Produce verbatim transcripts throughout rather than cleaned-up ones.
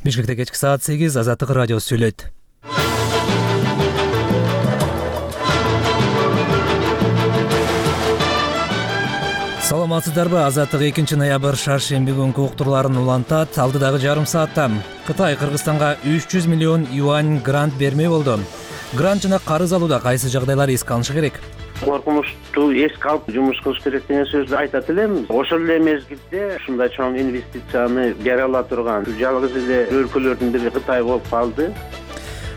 Бишкекте кечки саат сегиз Азаттык радиосу сүйлөйт. Саламатсыздарбы? Азаттык экинчи ноябрь шаршемби күнкү уктурларын улантат. Алдыдагы жарым саатта Кытай Кыргызстанга үч жүз миллион юань грант бермей болду. Грант жана карыз алууда кайсы жагдайлар эске алынышы керек? Коркунучту эске алып жумуш кылыш керек деген сөздү айтат элем. Ошол эле мезгилде ушундай чоң инвестицияны бере ала турган жалгыз эле өлкөлөрдүн бири Кытай болуп калды.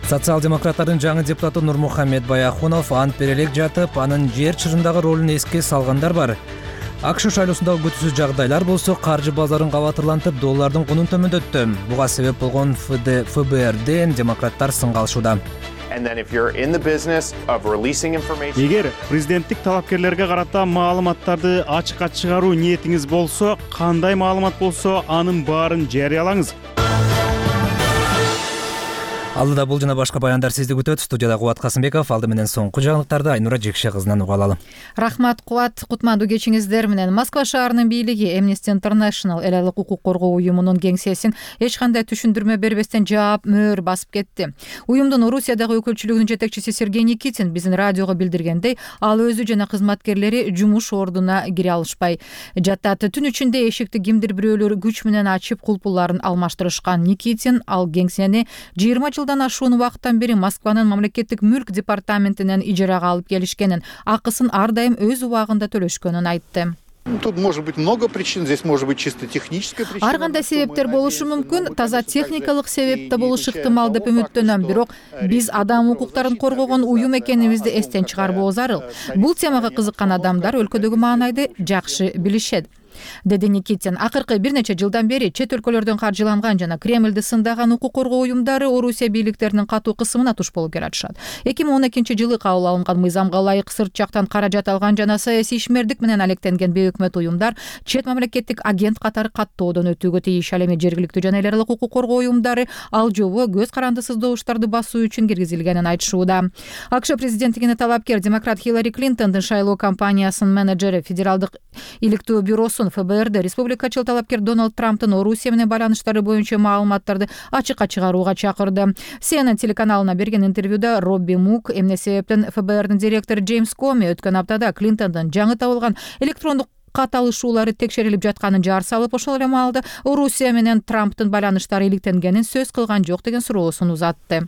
Социал-демократтардын жаңы депутаты Нурмухаммед Баяхунов ант бере элек жатып, анын жер чырындагы ролун эске салгандар бар. АКШ шайлоосундагы күтүүсүз жагдайлар болсо каржы базарын кабатырлантып, доллардын кунун төмөндөттү. Буга себеп болгон ФБРден демократтар сынга алышууда. Эгер президенттик талапкерлерге карата маалыматтарды ачыкка чыгаруу ниетиңиз болсо, кандай маалымат болсо, анын баарын жарыялаңыз. Алдыда бул жана башка баяндар сизди күтөт. Студияда Кубат Касымбеков, алды менен соңку жаңылыктарды Айнура Жекше кызынан уга алалы. Рахмат, Кубат. Кутмандуу кечиңиздер менен. Москва шаарынын бийлиги Amnesty International эл алык укук коргоо уюмунун кеңсесин эч кандай түшүндүрмө бербестен жаап, мөөр басып кетти. Уюмдун Орусиядагы өкүлчүлүгүнүн жетекчиси Сергей Никитин биздин радиого билдиргендей, ал өзү жана кызматкерлери жумуш ордуна кире алышпай жатат. Түн ичинде эшикти кимдир бирөөлөр күч менен ачып, кулпуларын алмаштырышкан. Никитин ал кеңсени жыйырма жылдан ашуун убакыттан бери Москванын мамлекеттик мүлк департаментинен ижарага алып келишкенин, акысын ар дайым өз убагында төлөшкөнүн айтты. Тут может быть много причин, здесь может быть чисто техническая причина. Ар кандай себептер болушу мүмкүн, таза техникалык себеп да болушу ыктымал деп үмүттөнөм, бирок биз адам укуктарын коргогон уюм экенибизди эстен чыгарбоо зарыл. Бул темага кызыккан адамдар өлкөдөгү маанайды жакшы билишет, деди Никитин. Акыркы бир нече жылдан бери чет өлкөлөрдөн каржыланган жана Кремлди сындаган укук коргоо уюмдары Орусия бийликтеринин катуу кысымына туш болуп келатышат. эки миң он экинчи жылы кабыл алынган мыйзамга ылайык сырт жактан каражат алган жана саясий ишмердик менен алектенген бейөкмөт уюмдар чет мамлекеттик агент катары каттоодон өтүүгө тийиш. Ал эми жергиликтүү жана эл аралык укук коргоо уюмдары ал жобо көз карандысыз добуштарды басуу үчүн киргизилгенин айтышууда. АКШ президенттигине талапкер демократ Хиллари Клинтондун шайлоо кампаниясынын менеджери Федералдык иликтөө бюросун ФБРде республикачыл талапкер Дональд Трамптын Орусия менен байланыштары боюнча маалыматтарды ачыкка чыгарууга чакырды. Си Эн Эн телеканалына берген интервьюда Робби Мук эмне себептен ФБРдин директору Джеймс Коми өткөн аптада Клинтондун жаңы табылган электрондук кат алышуулары текшерилип жатканын жар салып, ошол эле маалда Орусия менен Трамптын байланыштары иликтенгенин сөз кылган жок деген суроосун узатты.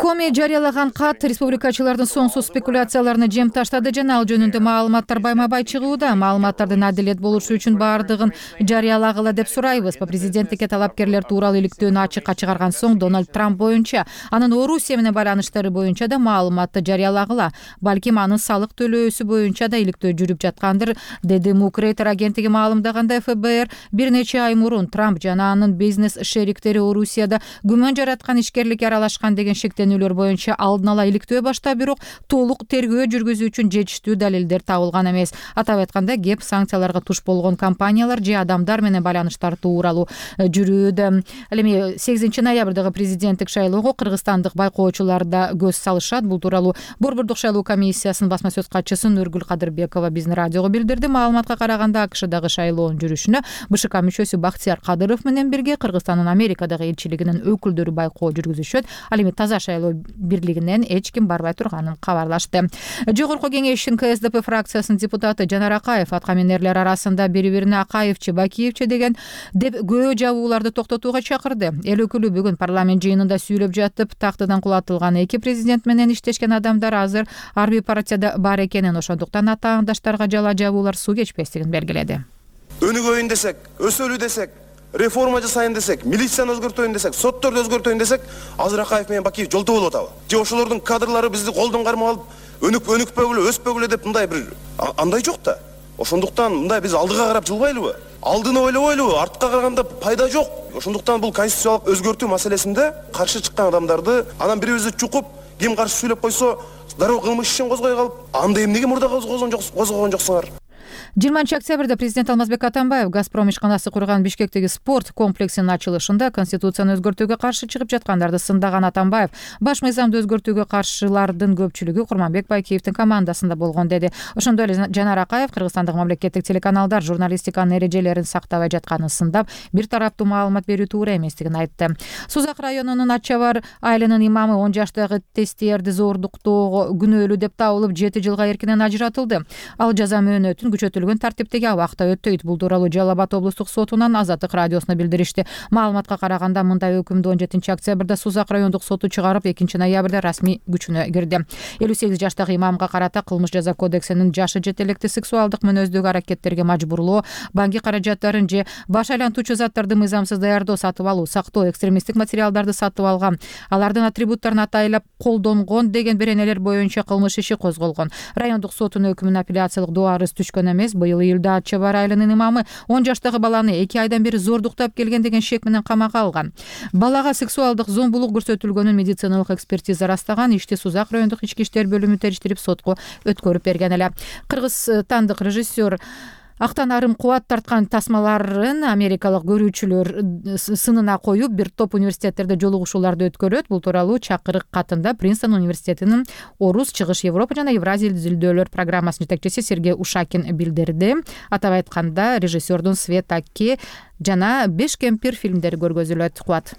Коми жарыялаган кат республикачылардын соңсуз спекуляцияларына жем таштады жана ал жөнүндө маалыматтар байма-бай чыгууда. Маалыматтардын адилет болушу үчүн баардыгын жарыялагыла деп сурайбыз. Президенттикке талапкерлер тууралуу иликтөөнү ачыкка чыгарган соң Дональд Трамп боюнча, анын Орусия менен байланыштары боюнча да маалыматты жарыялагыла. Балким анын салык төлөөсү боюнча да иликтөө жүрүп жаткандыр, деди Мук. Рейтер агенттиги маалымдагандай, ФБР бир нече ай мурун Трамп жана анын бизнес шериктери Орусияда күмөн жараткан ишкерликке аралашкан деген шектенүүлөр боюнча алдын ала иликтөө баштап, бирок толук тергөө жүргүзүү үчүн жетиштүү далилдер табылган эмес. Атап айтканда, кеп санкцияларга туш болгон компаниялар же адамдар менен байланыштар тууралуу жүрүүдө. Ал эми сегизинчи ноябрдагы президенттик шайлоого кыргызстандык байкоочулар да көз салышат. Бул тууралуу Борбордук шайлоо комиссиясынын басма сөз катчысы Нургүл Кадырбекова биздин радиого билдирди. Маалыматка караганда, АКШдагы шайлоонун жүрүшүнө БШК мүчөсү Бактияр Кадыров менен бирге Кыргызстандын Америка элчилигинин өкүлдөрү байкоо жүргүзүшөт. Ал эми таза шайлоо бирлигинен эч ким барбай турганын кабарлашты. Жогорку кеңештин Ка Эс Де Пе фракциясынын депутаты Жанар Акаев аткаминерлер арасында бири-бирине Акаевчи, Бакиевчи деген деп көө жабууларды токтотууга чакырды. Эл өкүлү бүгүн парламент жыйынында сүйлөп жатып, тактыдан кулатылган эки президент менен иштешкен адамдар азыр ар бир партияда бар экенин, ошондуктан атаандаштарга жала жабуулар суу кечпестигин белгиледи. Өнүгөйүн десек, өсөлү десек, реформа жасайын десек, милицияны өзгөртөйүн десек, сотторду өзгөртөйүн десек, азыр Акаев менен Бакиев жолто болуп атабы? Же ошолордун кадрлары бизди колдон кармап алып, өнүк өнүкпөгүлө, өспөгүлө деп мындай бир андай жок да. Ошондуктан мындай биз алдыга карап жылбайлыбы? Алдыны ойлобойлубу? Артка караганда пайда жок. Ошондуктан бул конституциялык өзгөртүү маселесинде каршы чыккан адамдарды анан бирибизди чукуп, ким каршы сүйлөп койсо, дароо кылмыш ишин козгой калып, анда эмнеге мурда козгогон жоксуңар? жыйырманчы октябрда президент Алмазбек Атамбаев Газпром ишканасы курган Бишкектеги спорт комплексинин ачылышында конституцияны өзгөртүүгө каршы чыгып жаткандарды сындаган Атамбаев баш мыйзамды өзгөртүүгө каршылардын көпчүлүгү Курманбек Байкеевдин командасында болгон деди. Ошондой эле Жанар Акаев кыргызстандык мамлекеттик телеканалдар журналистиканын эрежелерин сактабай жатканын сындап, бир тараптуу маалымат берүү туура эместигин айтты. Сузак районунун Ат Чабар айылынын имамы он жаштагы тестиерди зордуктоого күнөөлүү деп табылып жети жылга эркинен ажыратылды. Ал жаза мөөнөтүн күчөтүлгөн тартиптеги абакта өтөйт. Бул тууралуу Жалал Абад облустук сотунан Азаттык радиосуна билдиришти. Маалыматка караганда мындай өкүмдү он жетинчи октябрда Сузак райондук соту чыгарып, экинчи ноябрда расмий күчүнө кирди. элүү сегиз жаштагы имамга карата кылмыш жаза кодексинин жашы жетелекти сексуалдык мүнөздөгү аракеттерге мажбурлоо, банки каражаттарын же баш айлантуучу заттарды мыйзамсыз даярдоо, сатып алуу, сактоо, экстремисттик материалдарды сатып алган, алардын атрибуттарын атайлап колдонгон деген беренелер боюнча кылмыш иши козголгон. Райондук сотунун өкүмүнө апелляциялык доо арыз түшкөн эмес. Быйыл июлда Ат Чабар айылынын имамы он жаштагы баланы эки айдан бери зордуктап келген деген шек менен камакка алган. Балага сексуалдык зомбулук көрсөтүлгөнүн медициналык экспертиза ырастаган. Ишти Сузак райондук ички иштер бөлүмү териштирип сотко өткөрүп берген эле. Кыргызстандык режиссер Актан арым кубат тарткан тасмаларын америкалык көрүүчүлөр сынына коюп, бир топ университеттерде жолугушууларды өткөрөт. Бул тууралуу чакырык катында Принстон университетинин Орус, Чыгыш Европа жана Евразия изилдөөлөр программасынын жетекчиси Сергей Ушакин билдирди. Атап айтканда, режиссердун Свет Аки жана Беш кемпир фильмдери көргөзүлөт. Кубат.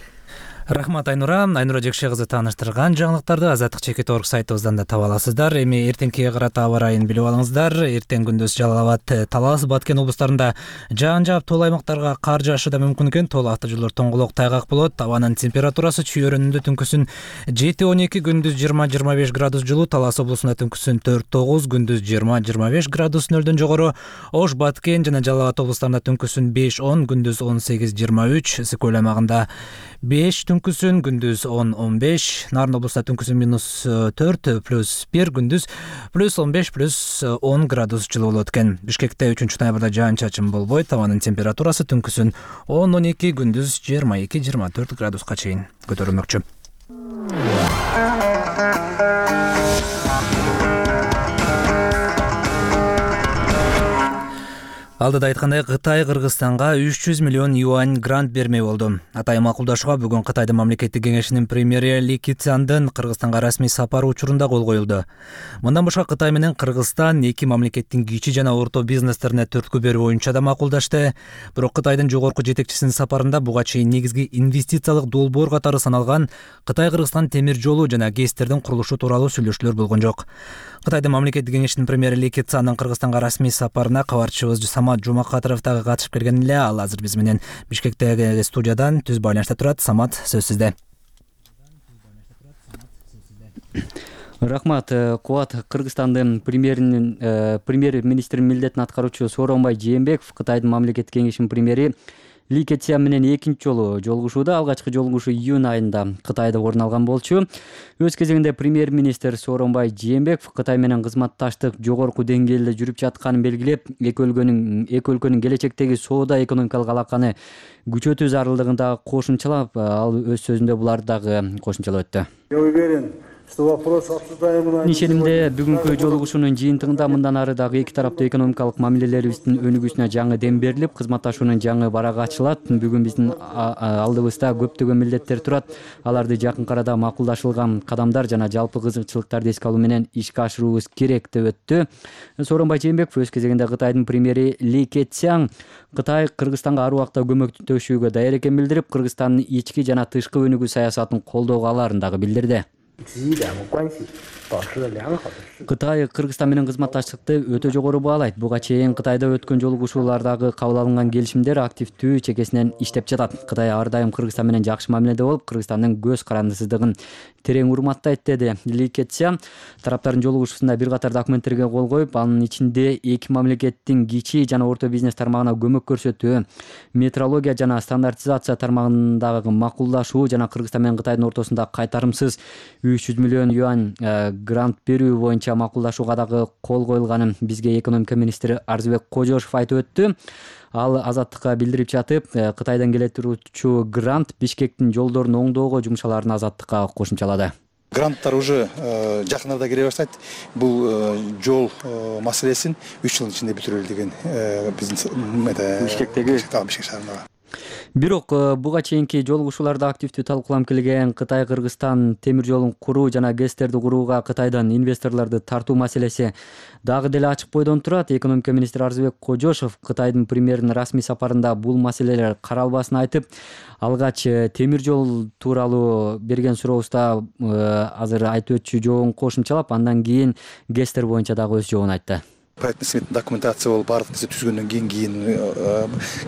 Рахмат Айнура. Айнура Жекше кызы тааныштырган жаңылыктарды Азаттык чекит орг сайтыбыздан да таба аласыздар. Эми эртеңкиге карата аба ырайын билип алыңыздар. Эртең күндүз Жалал Абад, Талас, Баткен облустарында жаан жаап, тоол аймактарга кар жаашы да мүмкүн экен. Тоол автожолдор тоңголок, тайгак болот. Абанын температурасы чүйөрүндө түнкүсүн жети он эки, күндүз жыйырма жыйырма беш градус жылуу. Талас облусунда түнкүсүн төрт тогуз, күндүз жыйырма жыйырма беш градус нөлдөн жогору. Ош, Баткен жана Жалал Абад облустарында түнкүсүн беш он, күндүз он сегиз жыйырма үч. Сыкөл аймагында беш, түнкүсүн күндүз он он беш. Нарын облустта түнкүсүн минус төрт, плюс бир, күндүз плюс он беш, плюс он градус жылуу болот экен. Бишкекте үчүнчү ноябрда жаан чачын болбойт. Абанын температурасы түнкүсүн он он эки, күндүз жыйырма эки жыйырма төрт градуска чейин көтөрүлмөкчү. Алдыда айткандай, Кытай Кыргызстанга үч жүз миллион юань грант бермей болду. Атай макулдашууга бүгүн Кытайдын мамлекеттик кеңешинин премьери Ли Кицяндын Кыргызстанга расмий сапары учурунда кол коюлду. Мындан башка Кытай менен Кыргызстан эки мамлекеттин кичи жана орто бизнестерине түрткү берүү боюнча да макулдашты. Бирок Кытайдын жогорку жетекчисинин сапарында буга чейин негизги инвестициялык долбоор катары саналган Кытай-Кыргызстан темир жолу жана ГЭСтердин курулушу тууралуу сүйлөшүүлөр болгон жок. Кытайдын мамлекеттик кеңешинин премьери Ли Кицяндын Кыргызстанга расмий сапарына кабарчыбыз Самат Жумакатыров дагы катышып келген эле. Ал азыр биз менен Бишкектеги студиядан түз байланышта турат. Самат, сөз сизде. Рахмат. Кубат. Кыргызстандын премьеринин премьер-министринин милдетин аткаруучу Сооронбай Жээнбеков Кытайдын мамлекеттик кеңешинин премьери Ли Кицян менен экинчи жолу жолугушууда. Алгачкы жолугушуу июнь айында Кытайда орун алган болчу. Өз кезегинде премьер-министр Сооронбай Жээнбеков Кытай менен кызматташтык жогорку деңгээлде жүрүп жатканын белгилеп, эки өлкөнүн эки өлкөнүн келечектеги соода экономикалык алаканы күчөтүү зарылдыгын дагы кошумчалап, ал өз сөзүндө буларды дагы кошумчалап өттү. Я уверен, что вопрос обсуждаемый. Ишенимде бүгүнкү жолугушуунун жыйынтыгында мындан ары дагы эки тараптуу экономикалык мамилелерибиздин өнүгүүсүнө жаңы дем берилип, кызматташуунун жаңы барагы ачылат. Бүгүн биздин алдыбызда көптөгөн милдеттер турат. Аларды жакынкы арада макулдашылган кадамдар жана жалпы кызыкчылыктарды эске алуу менен ишке ашыруубуз керек деп өттү. Сооронбай Жээнбеков өз кезегинде Кытайдын премьери Ли Кицян Кытай Кыргызстанга ар убакта көмөктөшүүгө даяр экенин билдирип, Кыргызстандын ички жана тышкы өнүгүү саясатын колдоого аларын дагы билдирди. Кытай Кыргызстан менен кызматташтыкты өтө жогору баалайт. Буга чейин Кытайда өткөн жолугушуулардагы кабыл алынган келишимдер активдүү чекесинен иштеп жатат. Кытай ар дайым Кыргызстан менен жакшы мамиледе болуп, Кыргызстандын көз карандысыздыгын терең урматтайт, деди Ли Кицян. Тараптардын жолугушуусунда бир катар документтерге кол коюп, анын ичинде эки мамлекеттин кичи жана орто бизнес тармагына көмөк көрсөтүү, метрология жана стандартизация тармагындагы макулдашуу жана Кыргызстан менен Кытайдын ортосунда кайтарымсыз үч жүз миллион юань грант берүү боюнча макулдашууга дагы кол коюлганын бизге экономика министри Арзыбек Кожошов айтып өттү. Ал Азаттыкка билдирип жатып, Кытайдан келе турчу грант Бишкектин жолдорун оңдоого жумшаларын Азаттыкка кошумчалады. Гранттар уже жакын арада келе баштайт. Бул жол маселесин үч жылдын ичинде бүтүрөлү деген биздин Бишкектеги Бишкек шаарындагы. Бирок буга чейинки жолугушууларда активдүү талкууланып келген Кытай Кыргызстан темир жолун куруу жана ГЭСтерди курууга Кытайдан инвесторлорду тартуу маселеси дагы деле ачык бойдон турат. Экономика министри Арзыбек Кожошов Кытайдын премьеринин расмий сапарында бул маселелер каралбасын айтып, алгач темир жол тууралуу берген сурообузда азыр айтып өтчү жообун кошумчалап, андан кийин ГЭСтер боюнча дагы өз жообун айтты. Проектный сметный документация болуп баардык нерсе түзгөндөн кийин кийин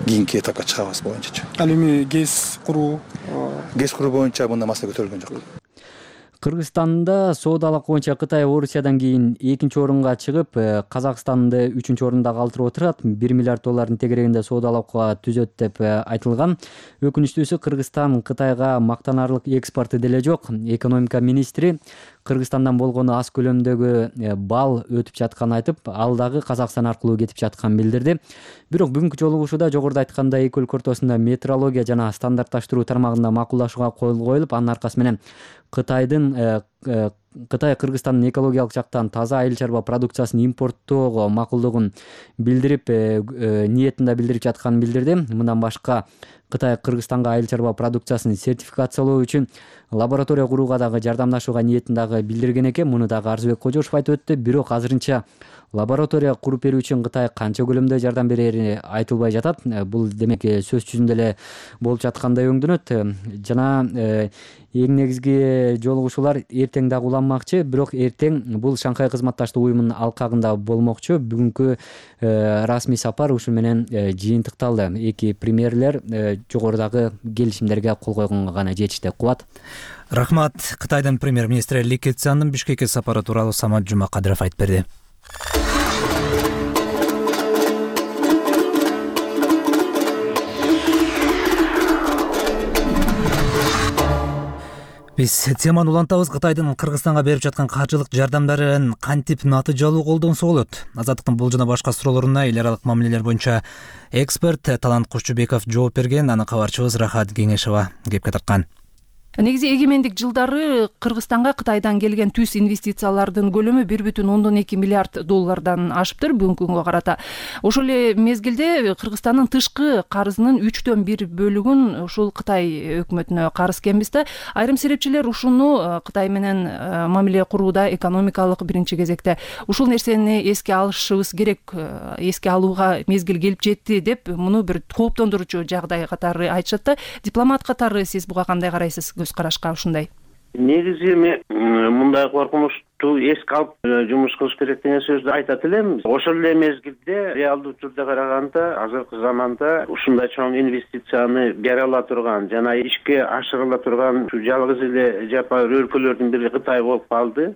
кийинки этапка чыгабыз боюнча. Ал эми ГЭС куруу ГЭС куруу боюнча мындай маселе көтөрүлгөн жок. Кыргызстанда соодалык боюнча Кытай Орусиядан кийин экинчи орунга чыгып, Казакстанды үчүнчү орунда калтырып отурат. бир миллиард доллардын тегерегинде соодалыкка түзөт деп айтылган. Өкүнүчтүүсү Кыргызстан Кытайга мактанарлык экспорту деле жок. Экономика министри Кыргызстандан болгону аз көлөмдөгү бал өтүп жатканын айтып, ал дагы Казакстан аркылуу кетип жатканын билдирди. Бирок бүгүнкү жолугушууда жогоруда айткандай эки өлкө ортосунда метрология жана стандартташтыруу тармагында макулдашууга кол коюлуп, анын аркасы менен Кытайдын Кытай Кыргызстандын экологиялык жактан таза айыл чарба продукциясын импорттоого макулдугун билдирип, ниетин да билдирип жатканын билдирди. Мындан башка Кытай Кыргызстанга айыл чарба продукциясын сертификациялоо үчүн лаборатория курууга дагы жардамдашууга ниетин дагы билдирген экен. Муну дагы Арзыбек Кожошов айтып өттү. Бирок азырынча лаборатория куруп берүү үчүн Кытай канча көлөмдө жардам берери айтылбай жатат. Бул демек сөз жүзүндө эле болуп жаткандай өңдөнөт. Жана эң негизги жолугушуулар эртең дагы уланмакчы, бирок эртең бул Шанхай кызматташтык уюмунун алкагында болмокчу. Бүгүнкү расмий сапар ушул менен жыйынтыкталды. Эки премьерлер жогорудагы келишимдерге кол койгонго гана жетишти. Кубат. Рахмат. Кытайдын премьер-министри Ли Кэцяндын Бишкекке сапары тууралуу Самат Жумакадыров айтып берди. Биз теманы улантабыз. Кытайдын Кыргызстанга берип жаткан каржылык жардамдарын кантип натыйжалуу колдонсо болот? Азаттыктын бул жана башка суроолоруна эл аралык мамилелер боюнча эксперт Талант Кушчубеков жооп берген. Аны кабарчыбыз Рахат Кеңешова кепке тарткан. Негизи эгемендик жылдары Кыргызстанга Кытайдан келген түз инвестициялардын көлөмү бир бүтүн ондон эки миллиард доллардан ашыптыр бүгүнкү күнгө карата. Ошол эле мезгилде Кыргызстандын тышкы карызынын үчтөн бир бөлүгүн ушул Кытай өкмөтүнө карыз экенбиз да. Айрым серепчилер ушуну Кытай менен мамиле курууда экономикалык биринчи кезекте ушул нерсени эске алышыбыз керек, эске алууга мезгил келип жетти деп муну бир кооптондурчу жагдай катары айтышат да. Дипломат катары сиз буга кандай карайсыз? Көз карашка ушундай. Негизи мен мындай коркунучту эске алып жумуш кылыш керек деген сөздү айтат элем. Ошол эле мезгилде реалдуу түрдө караганда азыркы заманда ушундай чоң инвестицияны бере ала турган жана ишке ашырыла турган жалгыз эле жапайыр өлкөлөрдүн бири Кытай болуп калды.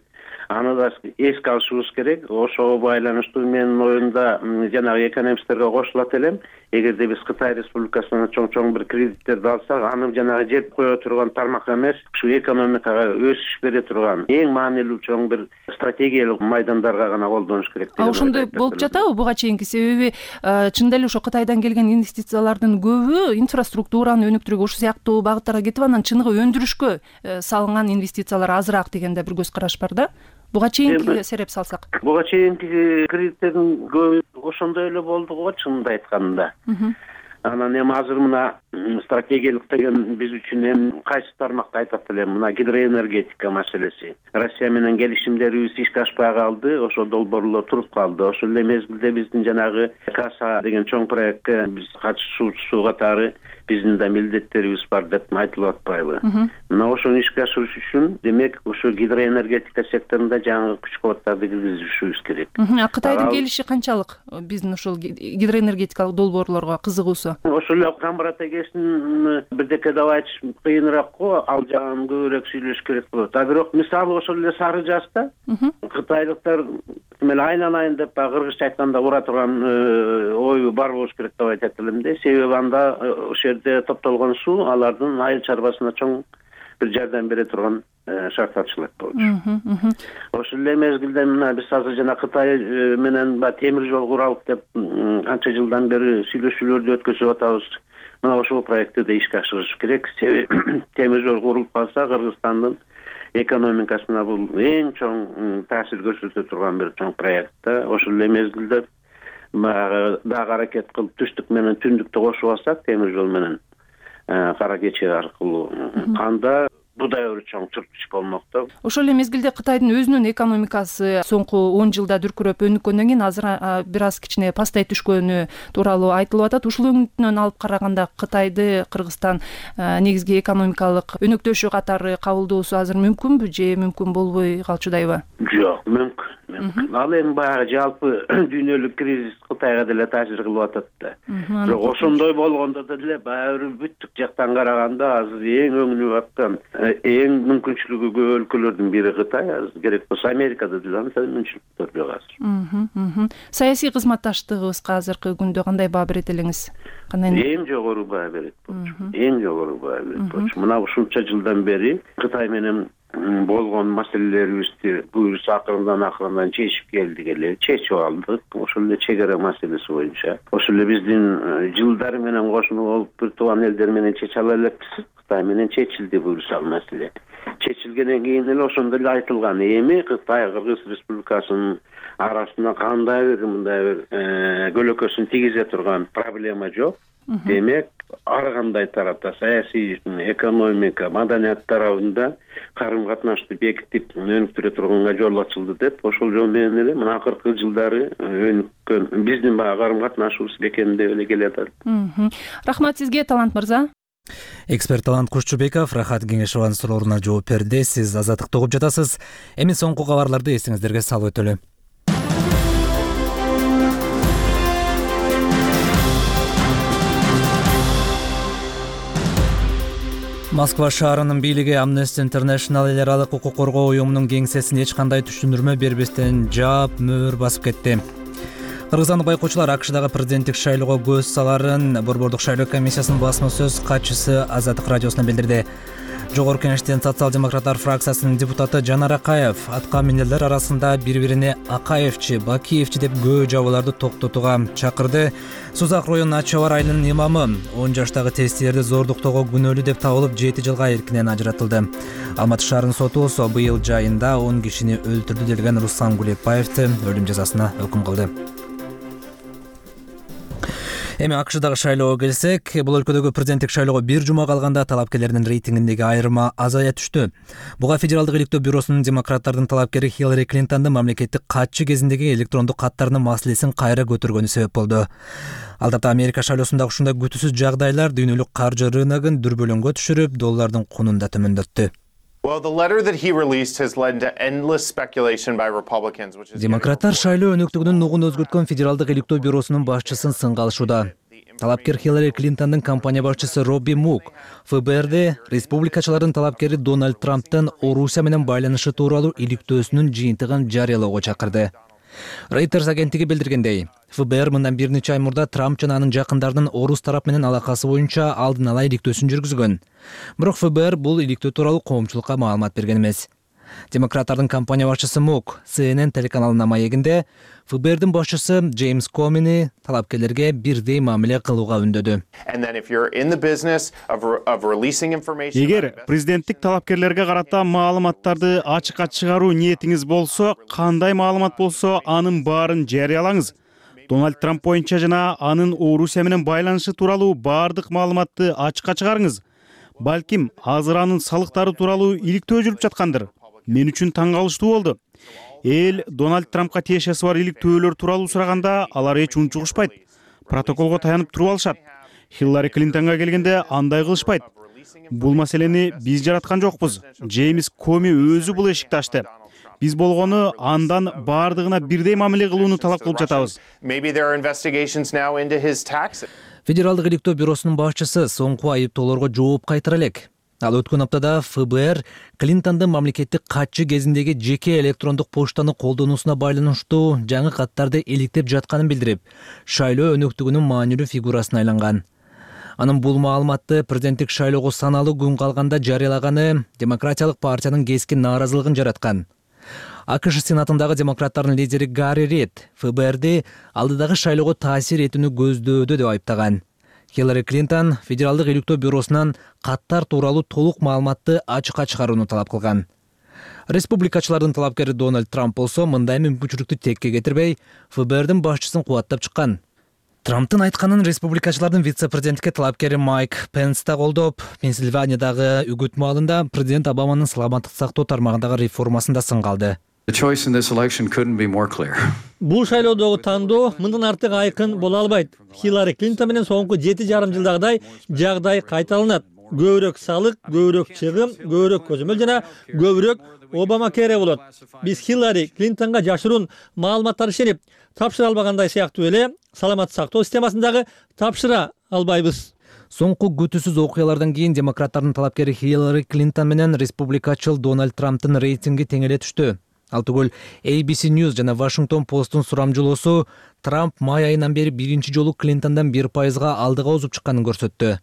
Аны да эске алышыбыз керек. Ошого байланыштуу менин оюмда жанагы экономисттерге кошулат элем. Эгерде биз Кытай Республикасынан чоң-чоң бир кредиттерди алсак, аны жанагы жеп кое турган тармак эмес, ушу экономикага өсүш бере турган эң маанилүү чоң бир стратегиялык майдандарга гана колдонуш керек. А ошондой болуп жатабы буга чейинки? Себеби чындап эле ошо Кытайдан келген инвестициялардын көбү инфраструктураны өнүктүрүүгө, ушул сыяктуу багыттарга кетип, анан чыныгы өндүрүшкө салынган инвестициялар азыраак дегенде бир көз караш бар да. Буга чейинки сереп салсак. Буга чейинки кредиттердин көбү ошондой эле болду го, чынында айтканда. Анан эми азыр мына стратегиялык деген биз үчүн эми кайсы тармакты айтат элем, мына гидроэнергетика маселеси. Россия менен келишимдерибиз ишке ашпай калды, ошо долбоорлор туруп калды. Ошол эле мезгилде биздин жанагы Каса деген чоң проектке биз катышуучу катары биздин да милдеттерибиз бар деп айтылып атпайбы? Мына ошону ишке ашырыш үчүн демек ошо гидроэнергетика секторунда жаңы күч кубаттарды киргизишибиз керек. А Кытайдын келиши канчалык биздин ошол гидроэнергетикалык долбоорлорго кызыгуусу? Ошол эле Камбарат эгесин бирдеке деп айтыш кыйыныраак го, ал жагын көбүрөөк сүйлөш керек болот. А бирок мисалы ошол эле Сары Жазда кытайлыктар мен айналайын деп кыргызча айтканда ура турган ою бар болуш керек деп айтат элем да. Себеби анда ошол жерде топтолгон суу алардын айыл чарбасына чоң бир жардам бере турган шарттарчылык болчу. Ошол эле мезгилде мына биз азыр жана Кытай менен темир жол куралык деп канча жылдан бери сүйлөшүүлөрдү өткөзүп атабыз. Мына ошол проектти да ишке ашырыш керек. Себеби темир жол курулуп калса Кыргызстандын экономикасына бул эң чоң таасир көрсөтө турган бир чоң проект да. Ошол эле мезгилде баягы дагы аракет кылып түштүк менен түндүктү кошуп алсак, темир жол менен кара кече аркылуу канда будай бир чоң түрткүч болмок да. Ошол эле мезгилде Кытайдын өзүнүн экономикасы соңку он жылда дүркүрөп өнүккөндөн кийин азыр бир аз кичине пастай түшкөнү тууралуу айтылып атат. Ушул өңүтүнөн алып караганда Кытайды Кыргызстан негизги экономикалык өнөктөшү катары кабылдоосу азыр мүмкүнбү же мүмкүн болбой калчудайбы? Жок, мүмкүн. Ал эми баягы жалпы дүйнөлүк кризис Кытайга деле таасир кылып атат да. Бирок ошондой болгондо деле баягы бүттүк жактан караганда азыр эң өңүнүп аткан, эң мүмкүнчүлүгү көп өлкөлөрдүн бири Кытай. Азыр керек болсо Америкада деле андай мүмкүнчүлүктөр жок азыр. Саясий кызматташтыгыбызга азыркы күндө кандай баа берет элеңиз? Эң жогору баа берет болчу. Эң жогору баа берет болчу. Мына ушунча жылдан бери Кытай менен болгон маселелерибизди буюрса акырындан акырындан чечип келдик эле, чечип алдык. Ошол эле чек ара маселеси боюнча. Ошол эле биздин жылдары менен кошуна болуп бир тууган элдер менен чече ала элекпиз. Кытай менен чечилди буюрса ал маселе. Чечилгенден кийин эле ошондо эле айтылган. Эми Кытай Кыргыз Республикасынын арасында кандай бир мындай бир көлөкөсүн тийгизе турган проблема жок. Демек, ар кандай тарапта саясий, экономика, маданият тарабында карым-катнашты бекитип өнүктүрө турганга жол ачылды деп, ошол жол менен эле мына акыркы жылдары өнүккөн биздин баягы карым-катнашыбыз бекемдеп эле келатат. Рахмат сизге, Талант мырза. Эксперт Талант Кушчубеков Рахат Кеңешованын сурооруна жооп берди. Сиз Азаттыкты угуп жатасыз. Эми соңку кабарларды эсиңиздерге салып өтөлү. Москва шаарынын бийлиги Amnesty International эл аралык укук коргоо уюмунун кеңсесин эч кандай түшүндүрмө бербестен жаап, мөөр басып кетти. Кыргызстандык байкоочулар АКШдагы президенттик шайлоого көз саларын Борбордук шайлоо комиссиясынын басма сөз катчысы Азаттык радиосуна билдирди. Жогорку Кеңештин социал-демократтар фракциясынын депутаты Жанар Акаев аткан минерлер арасында бири-бирине Акаевчи, Бакиевчи деп көө жабууларды токтотууга чакырды. Сузак районунун Ачы Чабар айылынын имамы он жаштагы тестилерди зордуктоого күнөөлүү деп табылып жети жылга эркинен ажыратылды. Алматы шаарынын соту болсо быйыл жайында он кишини өлтүрдү делген Руслан Гулепбаевди өлүм жазасына өкүм кылды. Эми АКШдагы шайлоого келсек, бул өлкөдөгү президенттик шайлоого бир жума калганда талапкерлердин рейтингиндеги айырма азая түштү. Буга Федералдык иликтөө бюросунун демократтардын талапкери Хиллари Клинтондун мамлекеттик катчы кезиндеги электрондук каттарынын маселесин кайра көтөргөнү себеп болду. Албетте Америка шайлоосундагы ушундай күтүүсүз жагдайлар дүйнөлүк каржы рыногун дүрбөлөңгө түшүрүп, доллардын кунун да төмөндөттү. Демократтар шайлоо өнөктүгүнүн нугун өзгөрткөн Федералдык иликтөө бюросунун башчысын сынга алышууда. Талапкер Хиллари Клинтондун компания башчысы Робби Мук ФБРди республикачылардын талапкери Дональд Трамптын Орусия менен байланышы тууралуу иликтөөсүнүн жыйынтыгын жарыялоого чакырды. Reuters агенттиги билдиргендей, ФБР мындан бир нече ай мурда Трамп жана анын жакындарынын орус тарап менен алакасы боюнча алдын ала иликтөөсүн жүргүзгөн. Бирок ФБР бул иликтөө тууралуу коомчулукка маалымат берген эмес. Демократтардын компания башчысы Мук Си Эн Эн телеканалына маегинде ФБРдин башчысы Джеймс Комини талапкерлерге бирдей мамиле кылууга үндөдү. Эгер президенттик талапкерлерге карата маалыматтарды ачыкка чыгаруу ниетиңиз болсо, кандай маалымат болсо, анын баарын жарыялаңыз. Дональд Трамп боюнча жана анын Орусия менен байланышы тууралуу баардык маалыматты ачыкка чыгарыңыз. Балким, азыр анын салыктары тууралуу иликтөө жүрүп жаткандыр. Мен үчүн таң калыштуу болду. Эл Дональд Трампка тиешеси бар иликтөөлөр тууралуу сураганда алар эч унчугушпайт. Протоколго таянып туруп алышат. Хиллари Клинтонго келгенде андай кылышпайт. Бул маселени биз жараткан жокпуз. Джеймс Коми өзү бул эшикти ачты. Биз болгону андан баардыгына бирдей мамиле кылууну талап кылып жатабыз. Федералдык иликтөө бюросунун башчысы соңку айыптоолорго жооп кайтара элек. Ал өткөн аптада ФБР Клинтондун мамлекеттик катчы кезиндеги жеке электрондук поштаны колдонуусуна байланыштуу жаңы каттарды иликтеп жатканын билдирип, шайлоо өнөктүгүнүн маанилүү фигурасына айланган. Анын бул маалыматты президенттик шайлоого саналуу күн калганда жарыялаганы Демократиялык партиянын кескин нааразылыгын жараткан. АКШ сенатындагы демократтардын лидери Гарри Рид ФБРди алдыдагы шайлоого таасир этүүнү көздөөдү деп айыптаган. Хиллари Клинтон Федералдык иликтөө бюросунан каттар тууралуу толук маалыматты ачыкка чыгарууну талап кылган. Республикачылардын талапкери Дональд Трамп болсо мындай мүмкүнчүлүктү текке кетирбей, эф бэ эрдин башчысын кубаттап чыккан. Трамптын айтканын республикачылардын вице-президентке талапкери Майк Пенс да колдоп, Пенсильваниядагы үгүт маалында президент Обаманын саламаттык сактоо тармагындагы реформасында сынга алды. Бул шайлоодогу тандоо мындан артык айкын боло албайт. Хиллари Клинтон менен соңку жети жарым жылдагыдай жагдай кайталанат. Көбүрөөк салык, көбүрөөк чыгым, көбүрөөк көзөмөл жана көбүрөөк Обама кере болот. Биз Хиллари Клинтонго жашыруун маалыматтар ишенип, тапшыра албагандай сыяктуу эле саламаттык сактоо системасындагы тапшыра албайбыз. Соңку күтүүсүз окуялардан кийин демократтардын талапкери Хиллари Клинтон менен республикачыл Дональд Трамптын рейтинги тең эле түштү. Ал түгүл эй би си News жана Washington Post'ун сурамжылоосу Трамп май айынан бери биринчи жолу Клинтондон бир пайызга алдыга озуп чыкканын көрсөттү.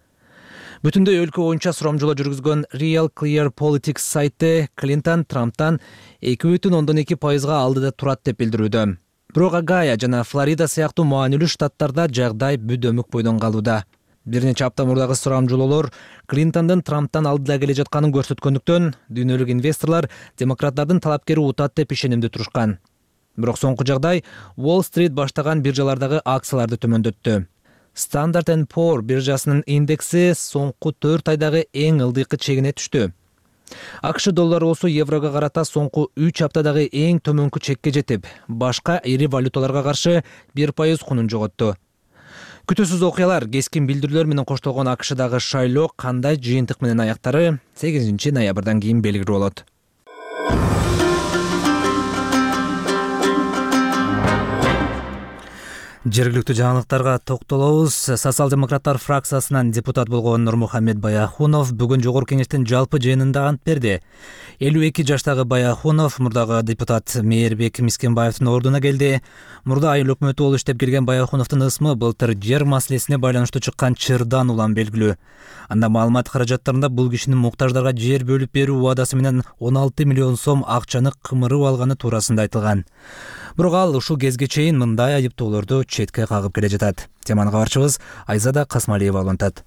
Бүтүндөй өлкө боюнча сурамжылоо жүргүзгөн Real Clear Politics сайты Клинтон Трамптан эки бүтүн ондон эки пайызга алдыда турат деп билдирүүдө. Бирок Огайо жана Флорида сыяктуу маанилүү штаттарда жагдай бүдөмүк бойдон калууда. Бир нече апта мурдагы сурамжылоолор Клинтондун Трамптан алдыда келе жатканын көрсөткөндүктөн дүйнөлүк инвесторлор демократтардын талапкери утат деп ишенимдүү турушкан. Бирок соңку жагдай Wall Street баштаган биржалардагы акцияларды төмөндөттү. Standard and Poor биржасынын индекси соңку төрт айдагы эң ылдыйкы чегине түштү. АКШ доллары болсо еврого карата соңку үч аптадагы эң төмөнкү чекке жетип, башка ири валюталарга каршы бир пайыз кунун жоготту. Күтүүсүз окуялар, кескин билдирүүлөр менен коштолгон АКШдагы шайлоо кандай жыйынтык менен аяктары сегизинчи ноябрдан кийин белгилүү болот. Жергиликтүү жаңылыктарга токтолобуз. Социал-демократтар фракциясынан депутат болгон Нурмухаммед Баяхунов бүгүн жогорку кеңештин жалпы жыйынында ант берди. элүү эки жаштагы Баяхунов мурдагы депутат Мээрбек Мискенбаевдин ордуна келди. Мурда айыл өкмөтү болуп иштеп келген Баяхуновдун ысмы былтыр жер маселесине байланыштуу чыккан чырдан улам белгилүү. Анда маалымат каражаттарында бул кишинин муктаждарга жер бөлүп берүү убадасы менен он алты миллион сом акчаны кымырып алганы туурасында айтылган. Бирок ал ушул кезге чейин мындай айыптоолорду четке кагып келе жатат. Теманы кабарчыбыз Айзада Касмалиева улантат.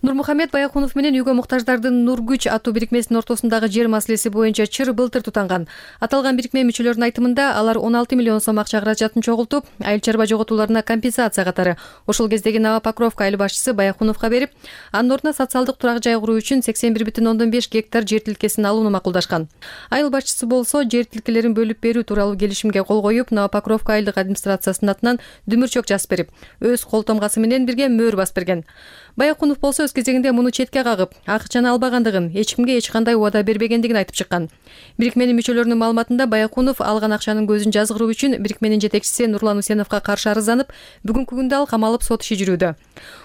Нурмухаммед Баяхунов менен үйгө муктаждардын Нургүч аттуу бирикмесинин ортосундагы жер маселеси боюнча чыр былтыр тутанган. Аталган бирикме мүчөлөрүнүн айтымында алар он алты миллион сом акча каражатын чогултуп, айыл чарба жоготууларына компенсация катары ошол кездеги Нова Покровка айыл башчысы Баяхуновго берип, анын ордуна социалдык турак жай куруу үчүн сексен бир бүтүн ондон беш гектар жер тилкесин алууну макулдашкан. Айыл башчысы болсо жер тилкелерин бөлүп берүү тууралуу келишимге кол коюп, Нова Покровка айылдык администрациясынын атынан дүмүрчөк жазып берип, өз кол тамгасы менен бирге мөөр басып берген. Баяхунов болсо өз кезегинде муну четке кагып, акчаны албагандыгын, эч кимге эч кандай убада бербегендигин айтып чыккан. Бирикменин мүчөлөрүнүн маалыматында Баяхунов алган акчанын көзүн жазгыруу үчүн бирикменин жетекчиси Нурлан Усеновго каршы арызданып, бүгүнкү күндө ал камалып сот иши жүрүүдө.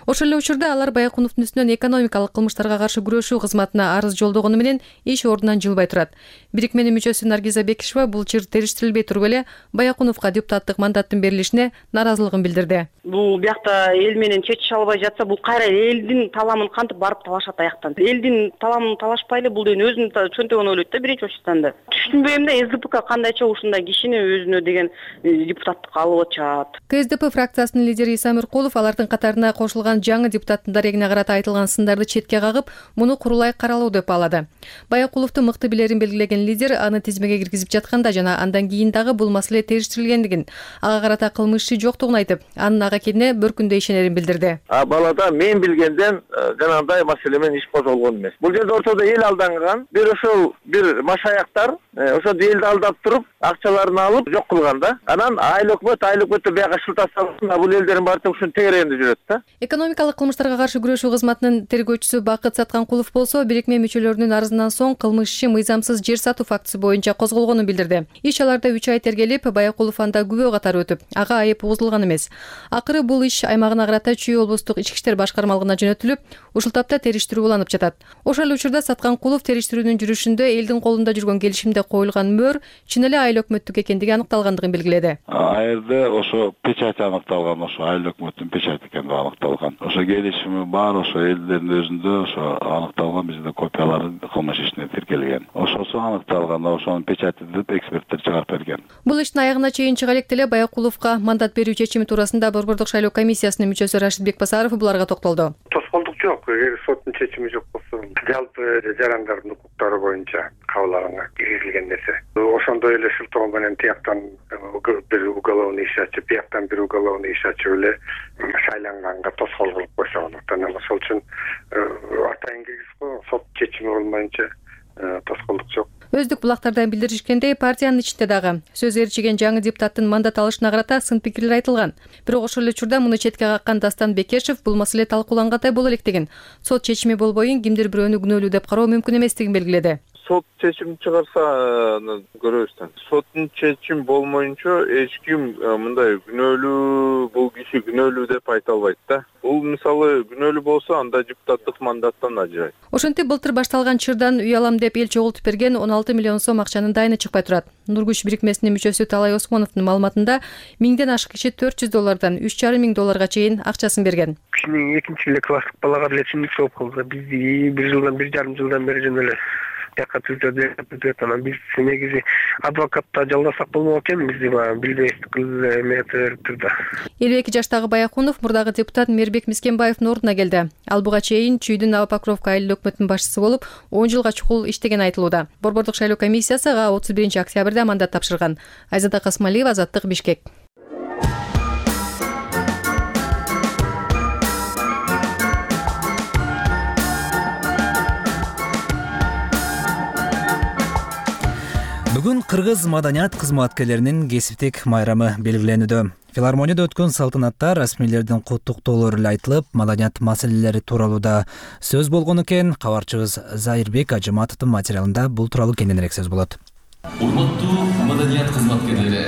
Ошол эле учурда алар Баяхуновдун үстүнөн экономикалык кылмыштарга каршы күрөшүү кызматына арыз жолдогону менен иш ордунан жылбай турат. Бирикменин мүчөсү Наргиза Бекишева бул чыр териштирилбей туруп эле Баяхуновго депутаттык мандаттын берилишине наразылыгын билдирди. Бул биякта эл менен чечише албай жатса, бул кайра элдин таламын кантип барып талашат аяктан. Элдин таламын талашпайлы, бул деген өзүнүн чөнтөгүн ойлойт да биринчи очтанда. Түшүнбөйм да, эс дэ пэ кандайча ушундай кишини өзүнө деген депутаттыкка алып атышат. ка эс дэ пэ фракциясынын лидери Иса Миркулов алардын катарына кошулган жаңы депутаттын дарегине карата айтылган сындарды четке кагып, муну курулай каралуу деп баалады. Баякуловдун мыкты билерин белгилеген лидер аны тизмеге киргизип жатканда жана андан кийин дагы бул маселе териштирилгендигин, ага карата кылмыш иши жоктугун айтып, анын ага экенине бір күндө ишенерин билдирди. А балада мен билгенден жанагындай маселе менен иш козголгон эмес. Бул жерде ортодо эл алданган, бир ошол бир машаяктар ошо элди алдап туруп, акчаларын алып жок кылган да. Анан айыл өкмөт, айыл өкмөттө бияга шылтап салсын, бул элдердин баары ушунун тегерегинде жүрөт да. Экономикалык кылмыштарга каршы күрөшүү кызматынын тергөөчүсү Бакыт Сатканкулов болсо, бирикме мүчөлөрүнүн арызынан соң кылмыш иши мыйзамсыз жер сатуу фактысы боюнча козголгонун билдирди. Иш аларда үч ай тергелип, Баякулов анда күбө катары өтүп, ага айып угузулган эмес. Акыры бул иш аймагына карата Чүй облустук ички иштер башкармалыгына жөнөтүлүп, ушул тапта териштирүү уланып жатат. Ошол эле учурда Сатканкулов териштирүүнүн жүрүшүндө элдин колунда жүргөн келишимде коюлган мөөр чын эле айыл өкмөттүк экендиги аныкталгандыгын белгиледи. Айылда ошо печать аныкталган, ошо айыл өкмөттүн печати экени аныкталган. Ошо келишими бар, ошо элдердин өзүндө ошо аныкталган, бизде копиялары кылмыш ишине тиркелген. Ошосу аныкталган, ошонун печати деп эксперттер чыгарып берген. Бул иштин аягына чейин чыга элек деле Баякуловго мандат берүү чечими туурасында Борбордук шайлоо комиссиясынын мүчөсү Рашид Бекбасаров буларга токтолду. Тоскоолдук Жок, эгер соттун чечими жок болсо, жалпы жарандардын укуктары боюнча кабыл алынган киргизилген нерсе. Ошондой эле шылтоо менен тияктан бир уголовный иш ачып, бияктан бир уголовный иш ачып эле шайланганга тоскоол кылып койсо болот. Анан ошол үчүн атайын киргизип койгон, сот чечими болмайынча тоскоолдук жок. Өздүк булактардан билдиришкендей, партиянын ичинде дагы сөз ээрчиген жаңы депутаттын мандат алышына карата сын пикирлер айтылган. Бирок ошол эле учурда муну четке каккан Дастан Бекешев бул маселе талкуулангандай боло элек деген. Сот чечими болбойын кимдир бирөөнү күнөөлүү деп кароо мүмкүн эместигин белгиледи. Сот чечим чыгарса көрөбүз да. Соттун чечим болмоюнча эч ким мындай күнөөлүү, бул киши күнөөлүү деп айта албайт да. Бул мисалы күнөөлүү болсо анда депутаттык мандаттан ажырайт. Ошентип былтыр башталган чырдан үй алам деп эл чогултуп берген он алты миллион сом акчанын дайыны чыкпай турат. Нургүч бирикмесинин мүчөсү Талай Осмоновдун маалыматында миңден ашык киши төрт жүз доллардан үч жарым миң долларга чейин акчасын берген. Кишинин экинчи эле класстык балага деле чындык жооп калды. Бизди бир жылдан бир жарым жылдан бери жөн эле жакка түзөт, анан биз негизи адвокатта жалдасак болмок экен, бизди баягы билбестик эметип да. элүү эки жаштагы Баяхунов мурдагы депутат Мээрбек Мискенбаевдин ордуна келди. Ал буга чейин Чүйдүн Новопокровка айыл өкмөтүнүн башчысы болуп, он жылга чукул иштеген айтылууда. Борбордук шайлоо комиссиясы ага отуз биринчи октябрда мандат тапшырган. Айзада Касмалиева, Азаттык, Бишкек. Бүгүн кыргыз маданият кызматкерлеринин кесиптик майрамы белгиленүүдө. Филармонияда өткөн салтанатта расмийлердин куттуктоолору эле айтылып, маданият маселелери тууралуу да сөз болгон экен. Кабарчыбыз Зайырбек Ажыматовдун материалында бул тууралуу кененирээк сөз болот. Урматтуу маданият кызматкерлери,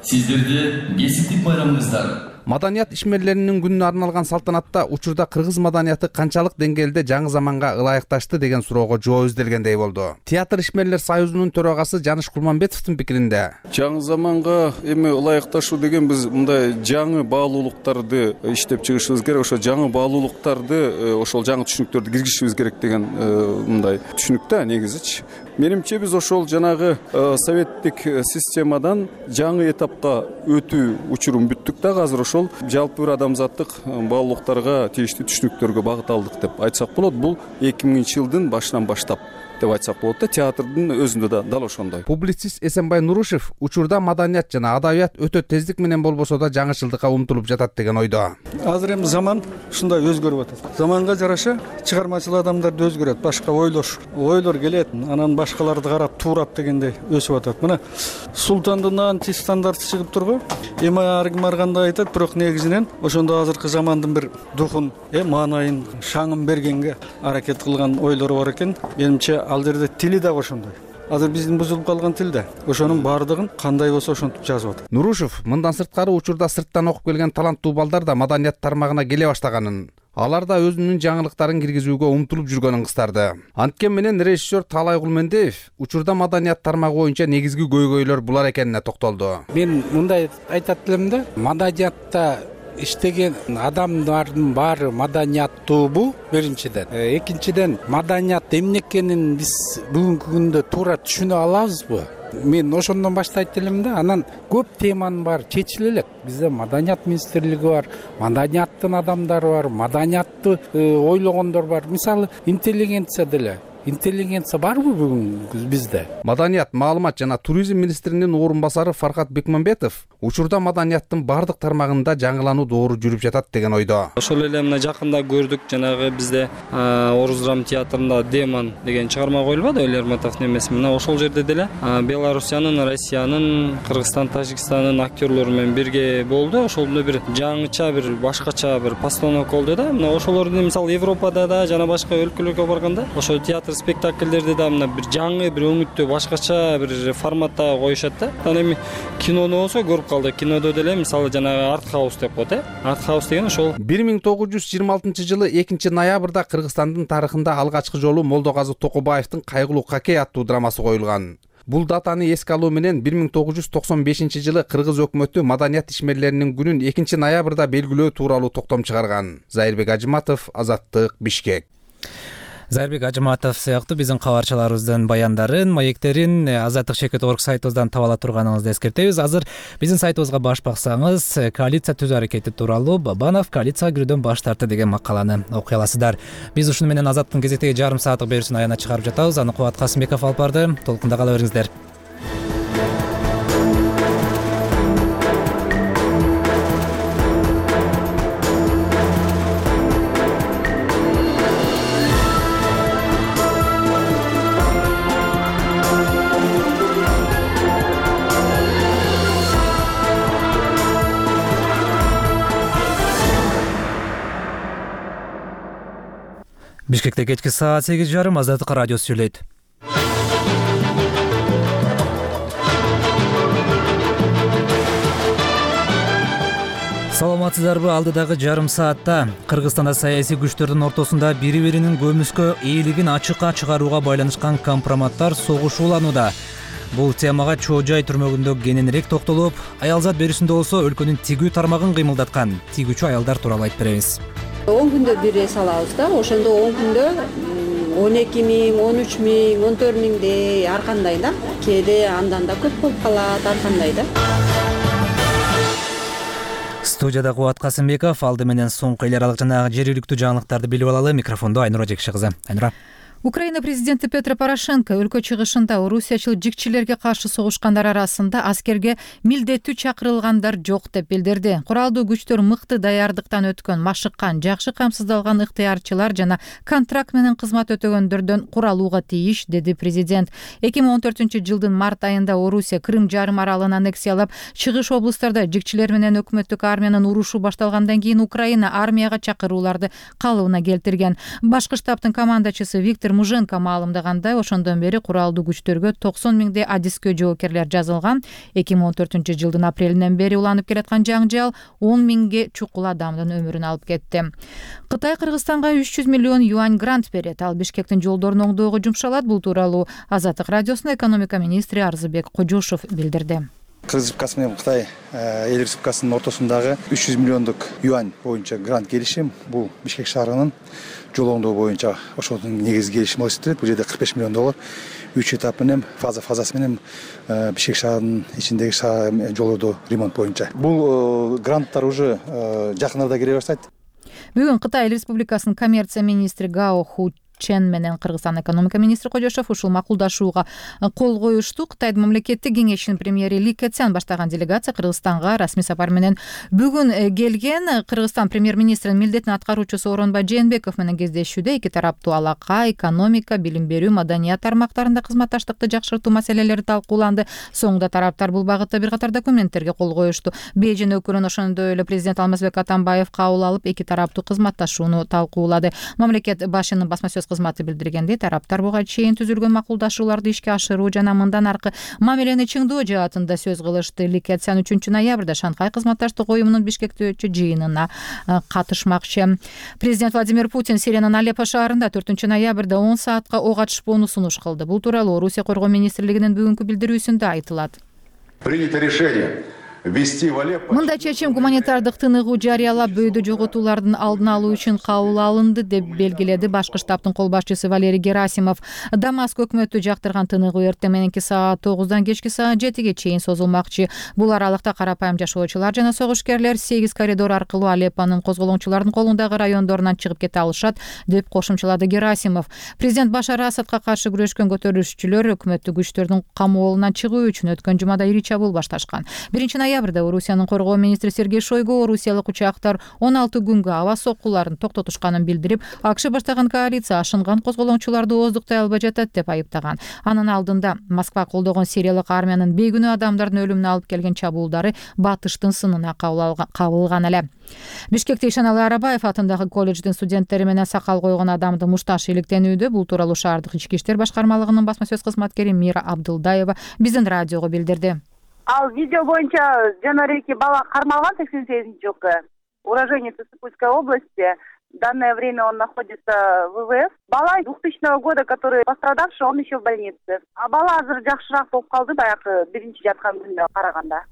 сиздерди кесиптик майрамыңыздар. Маданият ишмерлеринин күнүнө арналган салтанатта учурда кыргыз маданияты канчалык деңгээлде жаңы заманга ылайыкташты деген суроого жооп изделгендей болду. Театр ишмерлер союзунун төрагасы Жаныш Кулманбетовдун пикиринде жаңы заманга эми ылайыкташуу деген биз мындай жаңы баалуулуктарды иштеп чыгышыбыз керек, ошо жаңы баалуулуктарды, ошол жаңы түшүнүктөрдү киргизишибиз керек деген мындай түшүнүк да негизичи. Менимче биз ошол жанагы советтик системадан жаңы этапка өтүү учурун бүттүк да, азыр ошол жалпы бир адамзаттык баалуулуктарга тийиштүү түшүнүктөргө багыт алдык деп айтсак болот. Бул эки миңинчи жылдын башынан баштап деп айтсак болот да, театрдын өзүндө да дал ошондой. Публицист Эсенбай Нурушев учурда маданият жана адабият өтө тездик менен болбосо да жаңычылдыкка умтулуп жатат деген ойдо. Азыр эми заман ушундай өзгөрүп атат. Заманга жараша чыгармачыл адамдар да өзгөрөт, башка ойлош, ойлор келет, анан башкаларды карап туурап дегендей өсүп атат. Мына Султандын антистандарты чыгып турбу? Эми ар ким ар кандай айтат, бирок негизинен ошондо азыркы замандын бир духун, э маанайын, шаңын бергенге аракет кылган ойлору бар экен. Менимче ал жерде тили да ошондой. Азыр биздин бузулуп калган тил да ошонун баардыгын кандай болсо ошентип жазып атат. Нурушев мындан сырткары учурда сырттан окуп келген таланттуу балдар да маданият тармагына келе баштаганын, алар да өзүнүн жаңылыктарын киргизүүгө умтулуп жүргөнүн кыстарды. Анткени менен режиссер Талай Кулмендеев учурда маданият тармагы боюнча негизги көйгөйлөр булар экенине токтолду. Мен мындай айтат элем да, маданиятта иштеген адамдардын баары маданияттуубу биринчиден. Экинчиден, маданият эмне экенин биз бүгүнкү күндө туура түшүнө алабызбы? Мен ошондон баштайт элем да. Анан көп теманын баары чечиле элек. Бизде маданият министрлиги бар, маданияттын адамдары бар, маданиятты ойлогондор бар. Мисалы, интеллигенция деле. Интеллигенция барбы бүгүн бизде? Маданият, маалымат жана туризм министринин орун басары Фархат Бекмамбетов учурда маданияттын бардык тармагында жаңылануу доору жүрүп жатат деген ойдо. Ошол эле мына жакында көрдүк, жанагы бизде Орус драма театрында Демон деген чыгарма коюлбады, Элерматовдун эмеси. Мына ошол жерде деле Белоруссиянын, Россиянын, Кыргызстан, Тажикстандын актерлору менен бирге болду. Ошолдо бир жаңыча, бир башкача бир постановка болду да. Мына ошолорду мисалы Европада да жана башка өлкөлөргө барганда ошол театр спектакльдерди да мына бир жаңы, бир өңүттүү, башкача бир форматта коюшат да. Анан эми кинону болсо көрүп калдык. Кинодо деле мисалы жанагы арт хаус деп коет, э? Арт хаус деген ошол бир миң тогуз жүз жыйырма алтынчы жылы экинчи ноябрда Кыргызстандын тарыхында алгачкы жолу Молдоказы Токобаевдин Кайгылуу Какей аттуу драмасы коюлган. Бул датаны эске алуу менен бир миң тогуз жүз токсон бешинчи жылы кыргыз өкмөтү маданият ишмерлеринин күнүн экинчи ноябрда белгилөө тууралуу токтом чыгарган. Зайырбек Ажыматов, Азаттык, Бишкек. Зайырбек Ажыматов сыяктуу биздин кабарчыларыбыздын баяндарын, маектерин Азаттык чекит орг сайтыбыздан таба ала турганыңызды эскертебиз. Азыр биздин сайтыбызга баш баксаңыз, коалиция түзүү аракети тууралуу Бабанов коалицияга кирүүдөн баш тартты деген макаланы окуй аласыздар. Биз ушуну менен Азаттыктын кезектеги жарым сааттык берүүсүн аягына чыгарып жатабыз. Аны Кубат Касымбеков алып барды. Толкунда кала бериңиздер. Бишкекте кечки саат сегиз жарым Азаттык радиосу сүйлөйт. Саламатсыздарбы? Алдыдагы жарым саатта Кыргызстанда саясий күчтөрдүн ортосунда бири-биринин көмүскө ээлигин ачыкка чыгарууга байланышкан компроматтар согушууланууда. Бул темага Чоо Жай түрмөгүндө кененирээк токтолуп, аялзат берүүсүндө болсо өлкөнүн тигүү тармагын кыймылдаткан тигүүчү аялдар тууралуу айтып беребиз. он күндө бир эс алабыз да, ошондо он күндө он эки миң, он үч миң, он төрт миңдей ар кандай да. Кээде андан да көп болуп калат, ар кандай да. Студияда Кубат Касымбеков, алды менен соңку эл аралык жана жергиликтүү жаңылыктарды билип алалы. Микрофондо Айнура Жекши кызы. Айнура. Украина президенти Петро Порошенко өлкө чыгышында орусиячыл жикчилерге каршы согушкандар арасында аскерге милдеттүү чакырылгандар жок деп билдирди. Куралдуу күчтөр мыкты даярдыктан өткөн, машыккан, жакшы камсыздалган ыктыярчылар жана контракт менен кызмат өтөгөндөрдөн куралууга тийиш, деди президент. эки миң он төртүнчү жылдын март айында Орусия Крым жарым аралын аннексиялап, чыгыш облустарда жикчилер менен өкмөттүк армиянын урушу башталгандан кийин Украина армияга чакырууларды калыбына келтирген. Башкы штабтын командачысы Виктор Муженко маалымдагандай, ошондон бери куралдуу күчтөргө токсон миңдей адискө жоокерлер жазылган. эки миң он төртүнчү жылдын апрелинен бери уланып келаткан жаңжал он миңге чукул адамдын өмүрүн алып кетти. Кытай Кыргызстанга үч жүз миллион юань грант берет. Ал Бишкектин жолдорун оңдоого жумшалат. Бул тууралуу Азаттык радиосунун экономика министри Арзыбек Кожошов билдирди. Кыргыз Республикасы менен Кытай эл республикасынын ортосундагы үч жүз миллиондук юань боюнча грант келишим, бул Бишкек шаарынын жол оңдоо боюнча ошонун негизги келишими болуп эсептелет. Бул жерде кырк беш миллион доллар үч этап менен фаза фазасы менен Бишкек шаарынын ичиндеги жолдорду ремонт боюнча. Бул гранттар уже жакын арада кире баштайт. Бүгүн Кытай Республикасынын коммерция министри Гао Ху Чен менен Кыргызстан экономика министри Кожошов ушул макулдашууга кол коюшту. Кытайдын мамлекеттик кеңешинин премьери Ли Кэцян баштаган делегация Кыргызстанга расмий сапар менен бүгүн келген. Кыргызстан премьер-министринин милдетин аткаруучусу Оронбай Жээнбеков менен кездешүүдө эки тараптуу алака, экономика, билим берүү, маданият тармактарында кызматташтыкты жакшыртуу маселелери талкууланды. Соңунда тараптар бул багытта бир катар документтерге кол коюшту. Бейжин өкүлүн ошондой эле президент Алмазбек Атамбаев кабыл алып, эки тараптуу кызматташууну талкуулады. Мамлекет башынын басма сөз кызматы билдиргендей, тараптар буга чейин түзүлгөн макулдашууларды ишке ашыруу жана мындан аркы мамилени чыңдоо жаатында сөз кылышты. Ли Кэцян үчүнчү ноябрда Шанхай кызматташтык уюмунун Бишкекте өтчү жыйынына катышмакчы. Президент Владимир Путин Сириянын Алеппо шаарында төртүнчү ноябрда он саатка ок атышпоону сунуш кылды. Бул тууралуу Орусия Коргоо министрлигинин бүгүнкү билдирүүсүндө айтылат. Принято решение Мындай чечим гуманитардык тыныгуу жарыялап, бөйдө жоготуулардын алдын алуу үчүн кабыл алынды деп белгиледи башкы штабтын кол башчысы Валерий Герасимов. Дамаск өкмөтү жактырган тыныгуу эртең мененки саат тогуздан кечки саат жетиге чейин созулмакчы. Бул аралыкта карапайым жашоочулар жана согушкерлер сегиз коридор аркылуу Алеппонун козголоңчулардын колундагы райондорунан чыгып кете алышат деп кошумчалады Герасимов. Президент Башар Асадка каршы күрөшкөн көтөрүлүшчүлөр өкмөттүк күчтөрдүн камоолунан чыгуу үчүн өткөн жумада ири чабуул башташкан. биринчи ноябрда Орусиянын коргоо министри Сергей Шойгу орусиялык учактар он алты күнгө аба соккуларын токтотушканын билдирип, АКШ баштаган коалиция ашынган козголоңчуларды ооздуктай албай жатат деп айыптаган. Анын алдында Москва колдогон сириялык армиянын бейгүнөө адамдардын өлүмүнө алып келген чабуулдары батыштын сынына кабылган эле. Бишкекте Ишаналы Арабаев атындагы колледждин студенттери менен сакал койгон адамды мушташ иликтенүүдө. Бул тууралуу шаардык ички иштер башкармалыгынын басма сөз кызматкери Мира Абдылдаева биздин радиого билдирди. Ал видео боюнча жанареки бала кармалган сексен сегизинчи жылкы уроженец Сыктывкарской области. В данное время он находится в ВВС. Бала двухтысячного года, который пострадавший, он еще в больнице. А бала азыр жакшыраак болуп калды баягы биринчи жаткан күнүнө караганда.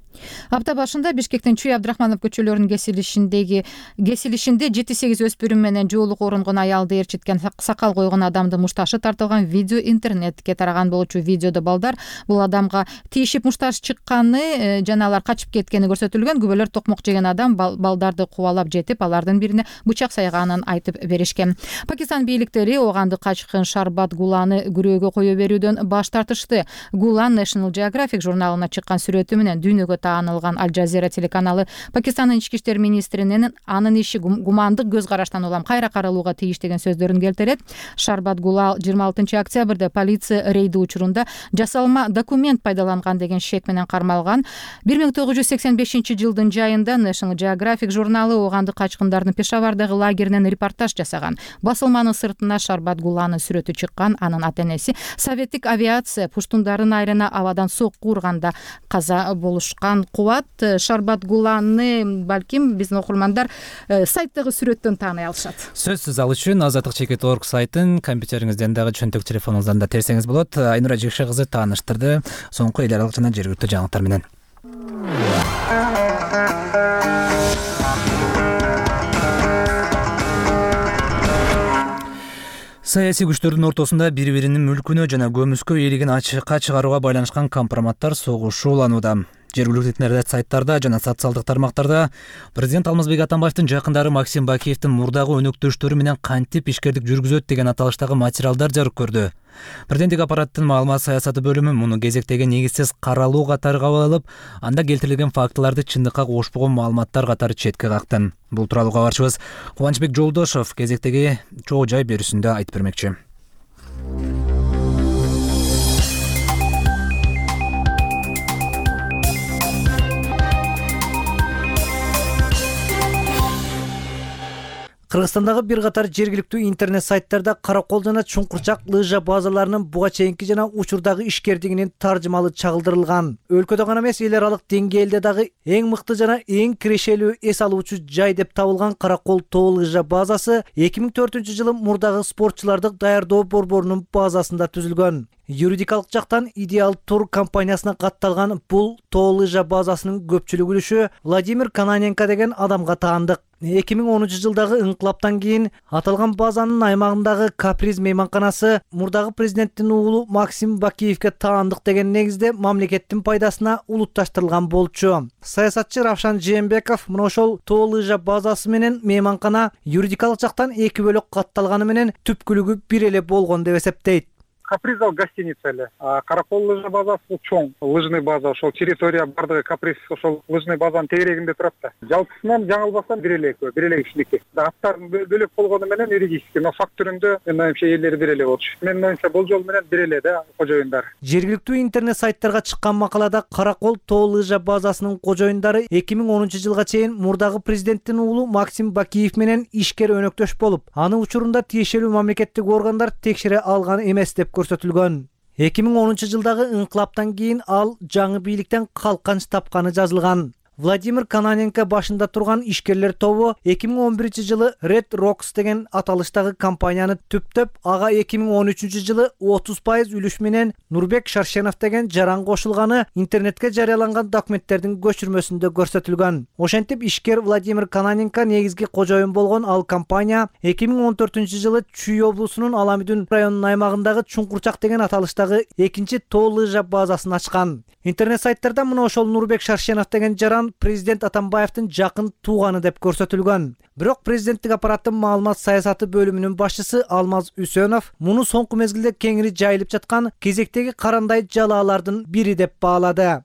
Апта башында Бишкектин Чүй Абдрахманов көчөлөрүнүн кесилишиндеги кесилишинде жети сегиз өспүрүм менен жоолук оронгон аялды ээрчиткен сакал койгон адамдын мушташы тартылган видео интернетке тараган болчу. Видеодо балдар бул адамга тийишип мушташ чыкканы жана алар качып кеткени көрсөтүлгөн. Күбөлөр токмок жеген адам балдарды кубалап жетип, алардын бирине бычак сайганын айтып беришкен. Пакистан бийликтери оганды качкын Шарбат Гуланы күрөөгө кое берүүдөн баш тартышты. Гулан National Geographic журналына чыккан сүрөтү менен дүйнөгө таанылган Аль Жазира телеканалы Пакистандын ички иштер министринин анын иши гумандык көз караштан улам кайра каралууга тийиш деген сөздөрүн келтирет. Шарбат Гулал жыйырма алтынчы октябрда полиция рейди учурунда жасалма документ пайдаланган деген шек менен кармалган. бир миң тогуз жүз сексен бешинчи жылдын жайында National Geographic журналы оганды качкындардын Пешавардагы лагеринен репортаж жасаган. Басылманын сыртына Шарбат Гуланын сүрөтү чыккан. Анын ата-энеси советтик авиация пуштундардын айрына абадан сокку урганда каза болушкан. Кубат Шарбат Гуланы балким биздин окурмандар сайттагы сүрөттөн тааный алышат. Сөзсүз ал үчүн азаттык чекит точка орг сайтын компьютериңизден дагы чөнтөк телефонуңуздан да терсеңиз болот. Айнура Жекше кызы тааныштырды соңку эл аралык жана жергиликтүү жаңылыктар менен. Саясий күчтөрдүн ортосунда бири-биринин мүлкүнө жана көмүскө ээлигин ачыкка чыгарууга байланышкан компроматтар согушууланууда. Жергиликтүү интернет сайттарда жана социалдык тармактарда президент Алмазбек Атамбаевдин жакындары Максим Бакиевдин мурдагы өнөктөштөрү менен кантип ишкердик жүргүзөт деген аталыштагы материалдар жарык көрдү. Президенттик аппараттын маалымат саясаты бөлүмү муну кезектеги негизсиз каралуу катары кабыл алып, анда келтирилген фактыларды чындыкка кошпогон маалыматтар катары четке какты. Бул тууралуу кабарчыбыз Кубанычбек Жолдошов кезектеги чоо жай берүүсүндө айтып бермекчи. Кыргызстандагы бир катар жергиликтүү интернет сайттарда Каракол жана Чуңкурчак лыжа базаларынын буга чейинки жана учурдагы ишкердигинин таржымалы чагылдырылган. Өлкөдө гана эмес, эл аралык деңгээлде дагы эң мыкты жана эң кирешелүү эс алуучу жай деп табылган Каракол тоо лыжа базасы эки миң төртүнчү жылы мурдагы спортчуларды даярдоо борборунун базасында түзүлгөн. Юридикалык жактан Идеал тур компаниясына катталган бул тоо лыжа базасынын көпчүлүк үлүшү Владимир Кананенко деген адамга таандык. эки миң онунчу жылдагы инкылаптан кийин аталган базанын аймагындагы Каприз мейманканасы мурдагы президенттин уулу Максим Бакиевге таандык деген негизде мамлекеттин пайдасына улутташтырылган болчу. Саясатчы Равшан Жээнбеков мына ошол тоо лыжа базасы менен мейманкана юридикалык жактан эки бөлөк катталганы менен түпкүлүгү бир эле болгон деп эсептейт. Каприз ал гостиница эле. А Каракол лыжа базасы бул чоң лыжный база, ошол территория бардыгы Каприз ошол лыжный базанын тегерегинде турат да. Жалпысынан жаңылбасам бир эле экөө, бир эле кишиники. Аттар бөлөк болгону менен юридический, но факт түрүндө менин оюмча элleri бир эле болчу. Менин оюмча бул жол менен бир эле да кожоюндар. Жергиликтүү интернет сайттарга чыккан макалада Каракол тоо лыжа базасынын кожоюндары эки миң онунчу жылга чейин мурдагы президенттин уулу Максим Бакиев менен ишкер өнөктөш болуп, аны учурунда тиешелүү мамлекеттик органдар текшере алган эмес деп көрсөтүлгөн. эки миң онунчу жылдагы инкылаптан кийин ал жаңы бийликтен калканч тапканы жазылган. Владимир Кананенко башында турган ишкерлер тобу эки миң он биринчи жылы Red Rocks деген аталыштагы компанияны түптөп, ага эки миң он үчүнчү жылы отуз пайыз үлүш менен Нурбек Шаршенов деген жаран кошулганы интернетке жарыяланган документтердин көчүрмөсүндө көрсөтүлгөн. Ошентип ишкер Владимир Кананенко негизги кожоюн болгон ал компания эки миң он төртүнчү жылы Чүй облусунун Аламүдүн районунун аймагындагы Чуңкурчак деген аталыштагы экинчи тоо лыжа базасын ачкан. Интернет сайттарда мына ошол Нурбек Шаршенов деген жаран президент Атамбаевдин жакын тууганы деп көрсөтүлгөн. Бирок президенттик аппараттын маалымат саясаты бөлүмүнүн башчысы Алмаз Үсөнов муну соңку мезгилде кеңири жайылып жаткан кезектеги карандай жалаалардын бири деп баалады.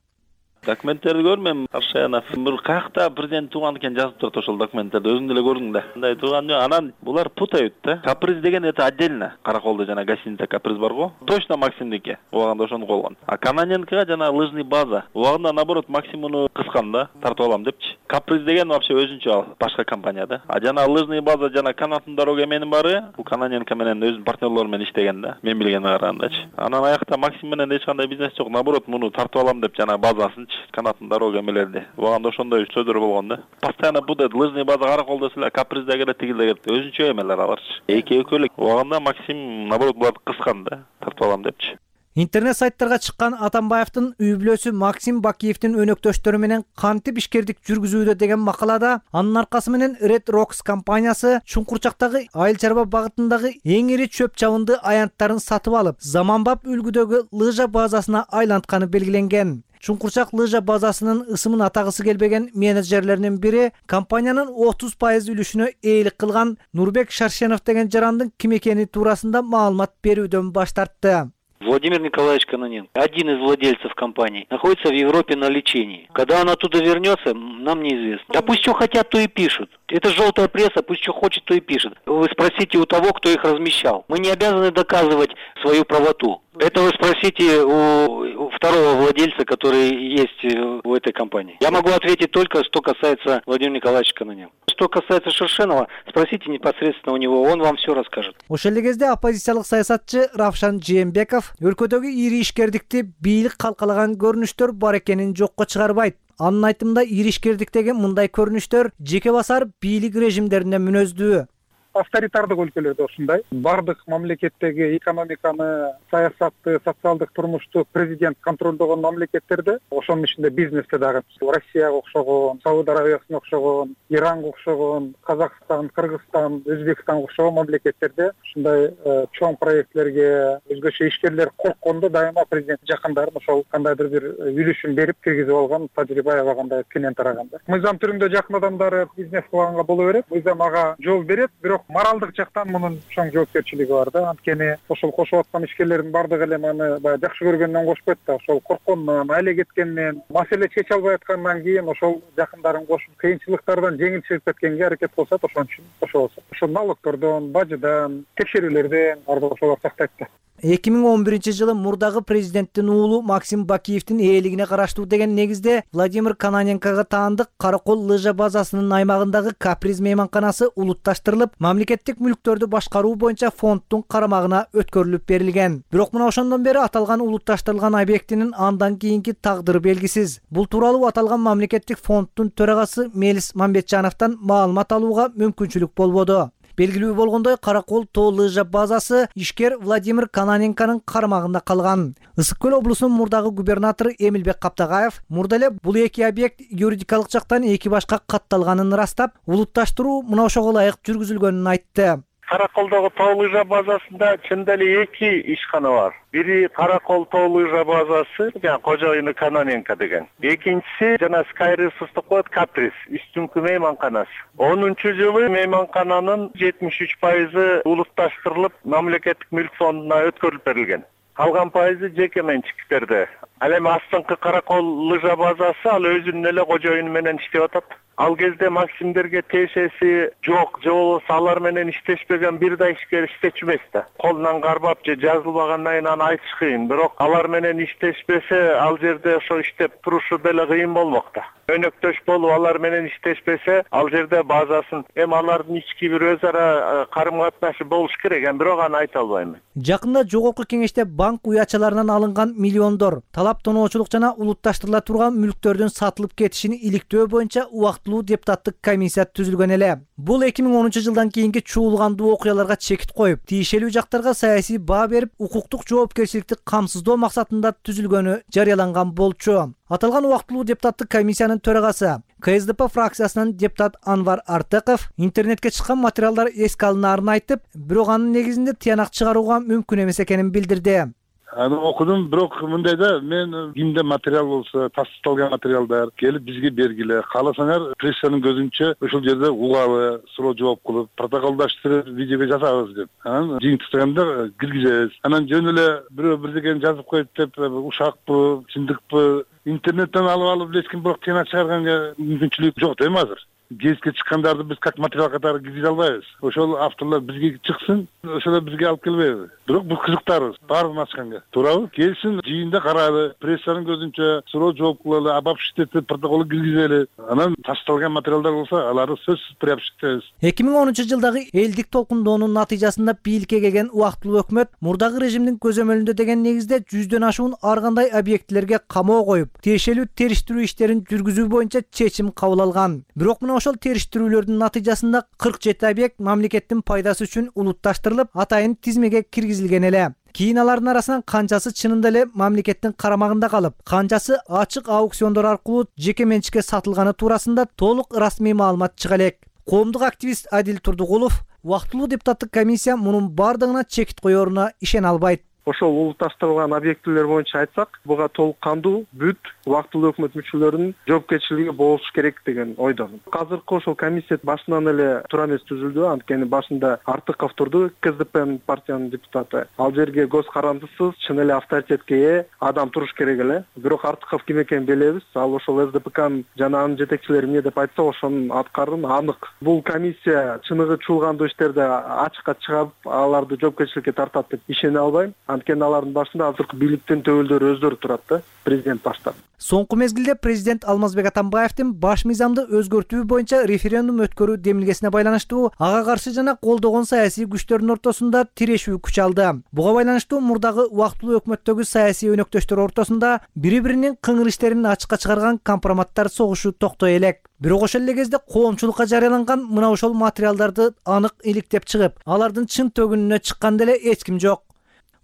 Документтерди көрмөйм, Аршаянов. Бир каякта президент тууган экен жазып турат ошол документтерде. Өзүң деле көрдүң да. Мындай тууган жок. Анан булар путают да. Каприз деген это отдельно. Караколдо жана гостиница Каприз бар го. Точно Максимдики. Убагында ошону койгон. А Кананенко жана лыжный база. Убагында наоборот Максимуну кыскан да, тартып алам депчи. Каприз деген вообще өзүнчө ал, башка компания да. А жана лыжный база жана канаттын дорога эменин баары бул Кананенко менен өзүнүн партнерлору менен иштеген да. Мен билгениме карагандачы. Анан аякта Максим менен эч кандай бизнес жок. Наоборот муну тартып алам деп жана базасын биринчи канаттын дорога эмелерди. Убагында ошондой сөздөр болгон да. Постоянно бу деп лыжный база Караколдо эле каприз да келет, тигил да келет. Өзүнчө эмелер аларчы. Эки экөөлүк. Убагында Максим наоборот буларды кыскан да, тартып алам депчи. Интернет сайттарга чыккан Атамбаевдин үй бүлөсү Максим Бакиевдин өнөктөштөрү менен кантип ишкердик жүргүзүүдө деген макалада анын аркасы менен Red Rocks компаниясы Чуңкурчактагы айыл чарба багытындагы эң ири чөп чабынды аянттарын сатып алып, заманбап үлгүдөгү лыжа базасына айлантканы белгиленген. Чуңкурчак лыжа базасынын ысымын атагысы келбеген менеджерлеринин бири компаниянын отуз пайыз үлүшүнө ээлик кылган Нурбек Шаршенов деген жарандын ким экени туурасында маалымат берүүдөн баш тартты. Владимир Николаевич Кононенко, один из владельцев компании, находится в Европе на лечении. Когда он оттуда вернется, нам неизвестно. Да пусть что хотят, то и пишут. Это желтая пресса, пусть что хочет, то и пишет. Вы спросите у того, кто их размещал. Мы не обязаны доказывать свою правоту. Это вы спросите у второго владельца, который есть в этой компании. Я могу ответить только, что касается Владимира Николаевича Кононенко. Что касается Шершенова, спросите непосредственно у него, он вам все расскажет. Ошол эле кезде оппозициялык саясатчы Равшан Жээнбеков өлкөдөгү ири ишкердикти бийлик калкалаган көрүнүштөр бар экенин жокко чыгарбайт. Анын айтымында ири ишкердиктеги мындай көрүнүштөр жеке басар бийлик режимдерине мүнөздүү. Авторитардык өлкөлөрдө ушундай. Бардык мамлекеттеги экономиканы, саясатты, социалдык турмушту президент контролдогон мамлекеттерде, ошонун ичинде бизнесте дагы Россияга окшогон, Сауд Арабиясына окшогон, Иранга окшогон, Казакстан, Кыргызстан, Өзбекстанга окшогон мамлекеттерде ушундай чоң проектлерге өзгөчө ишкерлер корккондо дайыма президент жакындарын ошол кандайдыр бир үлүшүн берип киргизип алган тажрыйба аябагандай кенен тараганда. Мыйзам түрүндө жакын адамдары бизнес кылганга боло берет. Мыйзам ага жол берет, бирок моралдык жактан мунун чоң жоопкерчилиги бар да. Анткени ошол кошуп аткан ишкерлердин бардыгы эле маны баягы жакшы көргөндөн кошпойт да. Ошол корккондон, айла кеткенден, маселе чече албай аткандан кийин ошол жакындарын кошуп, кыйынчылыктардан жеңил чыгып кеткенге аракет кылышат. Ошон үчүн кошо болсо. Ошол налогтордон, бажыдан, текшерүүлөрдөн бардык ошолор сактайт да. эки миң он биринчи жылы мурдагы президенттин уулу Максим Бакиевдин ээлигине караштуу деген негизде Владимир Кононенкого таандык Каракол лыжа базасынын аймагындагы Каприз мейманканасы улутташтырылып, мамлекеттик мүлктөрдү башкаруу боюнча фонддун карамагына өткөрүлүп берилген. Бирок мына ошондон бери аталган улутташтырылган объектинин андан кийинки тагдыры белгисиз. Бул тууралуу аталган мамлекеттик фонддун төрагасы Мелис Мамбетжановдон маалымат алууга мүмкүнчүлүк болбоду. Белгилүү болгондой, Каракол тоо лыжа базасы ишкер Владимир Кононенконун карамагында калган. Ысык көл облусунун мурдагы губернатору Эмилбек Каптагаев мурда эле бул эки объект юридикалык жактан эки башка катталганын ырастап, улутташтыруу мына ошого ылайык жүргүзүлгөнүн айтты. Караколдогу тоо лыжа базасында чында эле эки ишкана бар. Бири Каракол тоо лыжа базасы, жана кожоюну Кононенко деген. Экинчиси жана Sky Resource деп коет Каприз, үстүңкү мейманканасы. онунчу жылы мейманкананын жетимиш үч пайызы улутташтырылып, мамлекеттик мүлк фондуна өткөрүлүп берилген. Калган пайызы жеке менчиктерде. Ал эми астыңкы Каракол лыжа базасы ал өзүнүн эле кожоюну менен иштеп атат. Ал кезде Максимдерге тиешеси жок, же болбосо алар менен иштешпеген бир да ишкер иштечү эмес да. Колунан кармап же жазылбагандан кийин аны айтыш кыйын. Бирок алар менен иштешпесе, ал жерде ошо иштеп турушу деле кыйын болмок да. Өнөктөш болуп алар менен иштешпесе, ал жерде базасын эми алардын ички бир өз ара карым-катнашы болуш керек, эми бирок аны айта албайм. Жакында жогорку кеңеште банк уячаларынан алынган миллиондор талап тоноочулук жана улутташтырыла турган мүлктөрдүн сатылып кетишин иликтөө боюнча убактылуу депутаттык комиссия түзүлгөн эле. Бул эки миң онунчу жылдан кийинки чуулгандуу окуяларга чекит коюп, тиешелүү жактарга саясий баа берип, укуктук жоопкерчиликти камсыздоо максатында түзүлгөнү жарыяланган болчу. Аталган убактылуу депутаттык комиссиянын төрагасы КСДП фракциясынын депутат Анвар Артыков интернетке чыккан материалдар эске алынаарын айтып, бирок анын негизинде тыянак чыгарууга мүмкүн эмес экенин билдирди. Аны окудум, бирок мындай да, мен кимде материал болсо, тастыкталган материалдар келип бизге бергиле. Кааласаңар, прессанын көзүнчө ошол жерде угабы, суроо жооп кылып, протоколдаштырып, видеого жасабыз деп. Анан жыйынтыктаганда киргизебиз. Анан жөн эле бирөө бирдекени жазып коет деп, ушакпы, чындыкпы, интернеттен алып алып элескин бирок тыянак чыгарганга мүмкүнчүлүк жок да эми азыр. гезитке чыккандарды биз как материал катары киргизе албайбыз. Ошол авторлор бизге чыксын, ошолор бизге алып келбейби. Бирок биз кызыктарбыз баарын ачканга. Туурабы? Келсин, жыйында карайлы, прессанын көзүнчө суроо жооп кылалы, обобщить протоколу киргизели. Анан ташталган материалдар болсо, аларды сөзсүз приобщить. эки миң онунчу жылдагы элдик толкундоонун натыйжасында бийликке келген убактылуу өкмөт мурдагы режимдин көзөмөлүндө деген негизде жүздөн ашуун ар кандай объектилерге камоо коюп, тиешелүү териштирүү иштерин жүргүзүү боюнча чечим кабыл алган. Бирок мына ошол териштирүүлөрдүн натыйжасында кырк жети объект мамлекеттин пайдасы үчүн улутташтырылып, атайын тизмеге киргизилген эле. Кийин алардын арасынан канчасы чынында эле мамлекеттин карамагында калып, канчасы ачык аукциондор аркылуу жеке менчикке сатылганы туурасында толук расмий маалымат чыга элек. Коомдук активист Адил Турдугулов убактылуу депутаттык комиссия мунун бардыгына чекит коеруна ишене албайт. Ошол улутташтырылган объектилер боюнча айтсак, буга толук кандуу бүт убактылуу өкмөт мүчөлөрүнүн жоопкерчилиги болуш керек деген ойдомун. Азыркы ошол комиссия башынан эле туура эмес түзүлдү, анткени башында Артыков турду, КСДП партиянын депутаты. Ал жерге көз карандысыз, чын эле авторитетке ээ адам туруш керек эле. Бирок Артыков ким экенин билебиз. Ал ошол СДПКнын жана анын жетекчилери эмне деп айтса, ошонун аткарын анык. Бул комиссия чыныгы чуулгандуу иштерди ачыкка чыгып, аларды жоопкерчиликке тартат деп ишене албайм. Анткени алардын башында азыркы бийликтин төбөлдөрү өздөрү турат да, президент баштап. Соңку мезгилде президент Алмазбек Атамбаевдин баш мыйзамды өзгөртүү боюнча референдум өткөрүү демилгесине байланыштуу ага каршы жана колдогон саясий күчтөрдүн ортосунда тирешүү күч алды. Буга байланыштуу мурдагы убактылуу өкмөттөгү саясий өнөктөштөр ортосунда бири-биринин кыңыр иштерин ачыкка чыгарган компроматтар согушу токтой элек. Бирок ошол эле кезде коомчулукка жарыяланган мына ошол материалдарды анык иликтеп чыгып, алардын чын төгүнүнө чыкканда эле эч ким жок.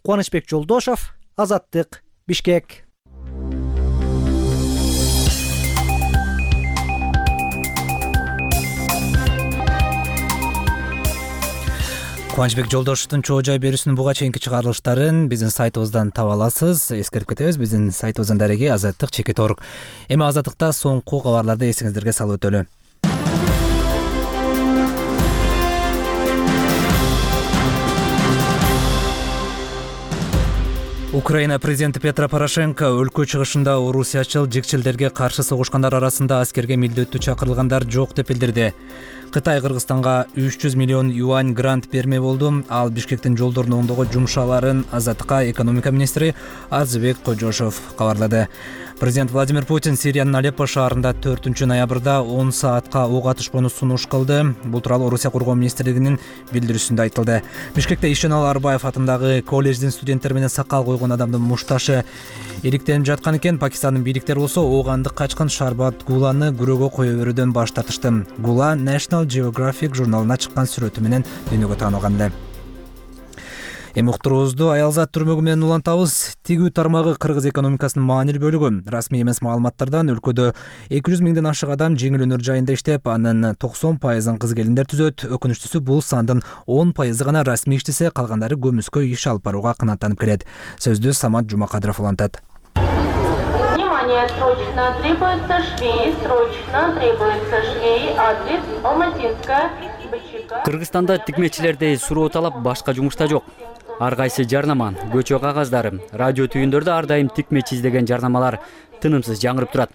Кубанычбек Жолдошов, Азаттык, Бишкек. Кубанычбек Жолдошовдун чоо жай берүүсүнүн буга чейинки чыгарылыштарын биздин сайтыбыздан таба аласыз. Эскертип кетебиз, биздин сайтыбыздын дареги азаттык чекит точка орг. Эми азаттыкта соңку кабарларды эсиңиздерге салып өтөлү. Украина президенти Петро Порошенко өлкө чыгышында орусиячыл жикчилдерге каршы согушкандар арасында аскерге милдеттүү чакырылгандар жок деп билдирди. Кытай Кыргызстанга үч жүз миллион юань грант берме болду. Ал Бишкектин жолдорун оңдоого жумшаларын Азаттыкка экономика министри Арзыбек Кожошов кабарлады. Президент Владимир Путин Сириянын Алеппо шаарында төртүнчү ноябрда он саатка ок атышпоону сунуш кылды. Бул тууралуу Орусия коргоо министрлигинин билдирүүсүндө айтылды. Бишкекте Ишенал Арбаев атындагы колледждин студенттери менен сакал койгон адамдын мушташы иликтенип жаткан экен. Пакистандын бийликтери болсо оогандык качкын Шарбат Гуланы күрөөгө кое берүүдөн баш тартышты. Гула National Geographic журналына чыккан сүрөтү менен дүйнөгө таанылган эле. Эми уктуруубузду Аялзат түрмөгү менен улантабыз. Тигүү тармагы кыргыз экономикасынын маанилүү бөлүгү. Расмий эмес маалыматтардан өлкөдө эки жүз миңден ашык адам жеңил өнөр жайында иштеп, анын токсон пайызын кыз келиндер түзөт. Өкүнүчтүүсү бул сандын он пайызы гана расмий иштесе, калгандары көмүскө иш алып барууга канааттанып келет. Сөздү Самат Жумакадыров улантат. Внимание, срочно требуется швей, срочно требуется швей, адрес Алматинская, БЧК. Кыргызстанда тикмечилердей суроо талап башка жумушта жок. Ар кайсы жарнама, көчө кагаздары, радио түйүндөрдө ар дайым тикмечи издеген жарнамалар тынымсыз жаңырып турат.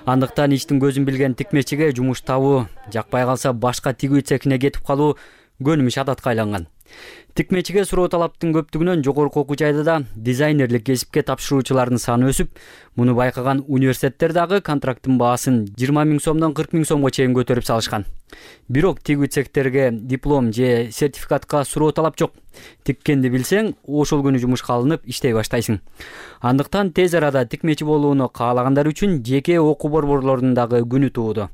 Андыктан иштин көзүн билген тикмечиге жумуш табуу, жакпай калса башка тигүү цехине кетип калуу көнүмүш адатка айланган. Тикмечиге суроо талаптын көптүгүнөн жогорку окуу жайда дизайнерлик кесипке тапшыруучулардын саны өсүп, муну байкаган университеттер дагы контракттын баасын жыйырма миң сомдон кырк миң сомго чейин көтөрүп салышкан. Бирок тигүү цехтерге диплом же сертификатка суроо талап жок. Тиккенди билсең, ошол күнү жумушка алынып иштей баштайсың. Андыктан тез арада тикмечи болууну каалагандар үчүн жеке окуу борборлорунун дагы күнү тууду.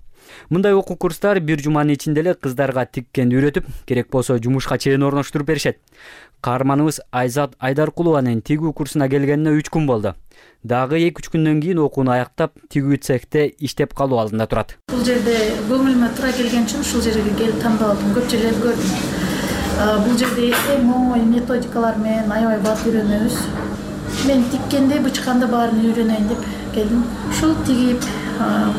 Мындай окуу курстар бир жуманын ичинде эле кыздарга тиккенди үйрөтүп, керек болсо жумушка чейин орноштуруп беришет. Каарманыбыз Айзат Айдаркулованын тигүү курсуна келгенине үч күн болду. Дагы эки үч күндөн кийин окууну аяктап, тигүү цехте иштеп калуу алдында турат. Бул жерде көңүлүмө туура келген үчүн ушул жерге келип тандап алдым. Көп жерлерди көрдүм. Бул жерде эң оңой методикалар менен аябай бат үйрөнөбүз. Мен тиккенде, бычканда баарын үйрөнөйүн деп келдим. Ушул тигип,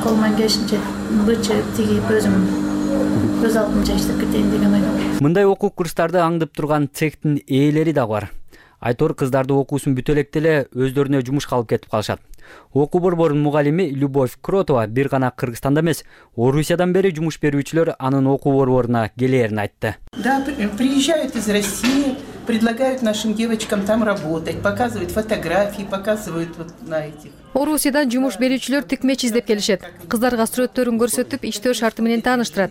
колуман келишинче бычып, тигип өзүм өз алдымча иштеп кетейин деген ойдомун. Мындай окуу курстарды аңдып турган цехтин ээлери дагы бар. Айтор кыздарды окуусун бүтө электе эле өздөрүнө жумушка алып кетип калышат. Окуу борборунун мугалими Любовь Кротова бир гана Кыргызстанда эмес, Орусиядан бери жумуш берүүчүлөр анын окуу борборуна келээрин айтты. Да, приезжают из России, предлагают нашим девочкам там работать, показывают фотографии, показывают вот на этих. Орусиядан жумуш берүүчүлөр тикмечи издеп келишет. Кыздарга сүрөттөрүн көрсөтүп, иштөө шарты менен тааныштырат.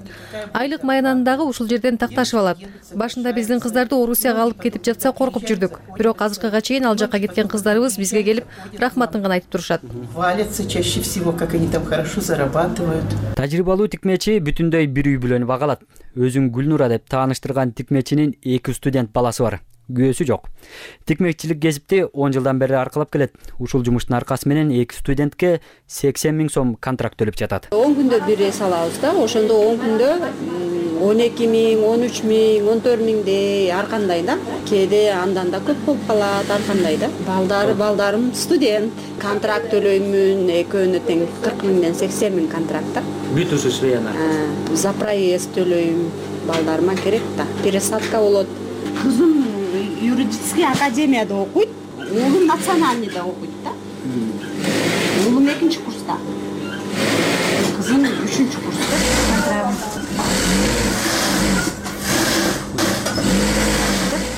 Айлык маянаны дагы ушул жерден такташып алат. Башында биздин кыздарды Орусияга алып кетип жатса коркуп жүрдүк. Бирок азыркыга чейин ал жака кеткен кыздарыбыз бизге келип, рахматын гана айтып турушат. Хвалятся чаще всего, как они там хорошо зарабатывают. Тажрыйбалуу тикмечи бүтүндөй бир үй бүлөнү багалат. Өзүн Гүлнура деп тааныштырган тикмечинин эки студент баласы бар. Күйөөсү жок. Тикмекчилик кесипти он жылдан бери аркылап келет. Ушул жумуштун аркасы менен эки студентке сексен миң сом контракт төлөп жатат. он күндө бир эс алабыз да, ошондо он күндө он эки миң, он үч миң, он төрт миңдей ар кандай да. Кээде андан да көп болуп калат, ар кандай да. Балдары, балдарым студент. Контракт төлөймүн, экөөнө тең кырк миңден сексен миң контракт да. Бүтүүсү швеяна. За проезд төлөйм, балдарыма керек да. Пересадка болот. Кызым юридический академияда окуйт, уулум национальныйда окуйт да. Уулум экинчи курста, кызым үчүнчү курста.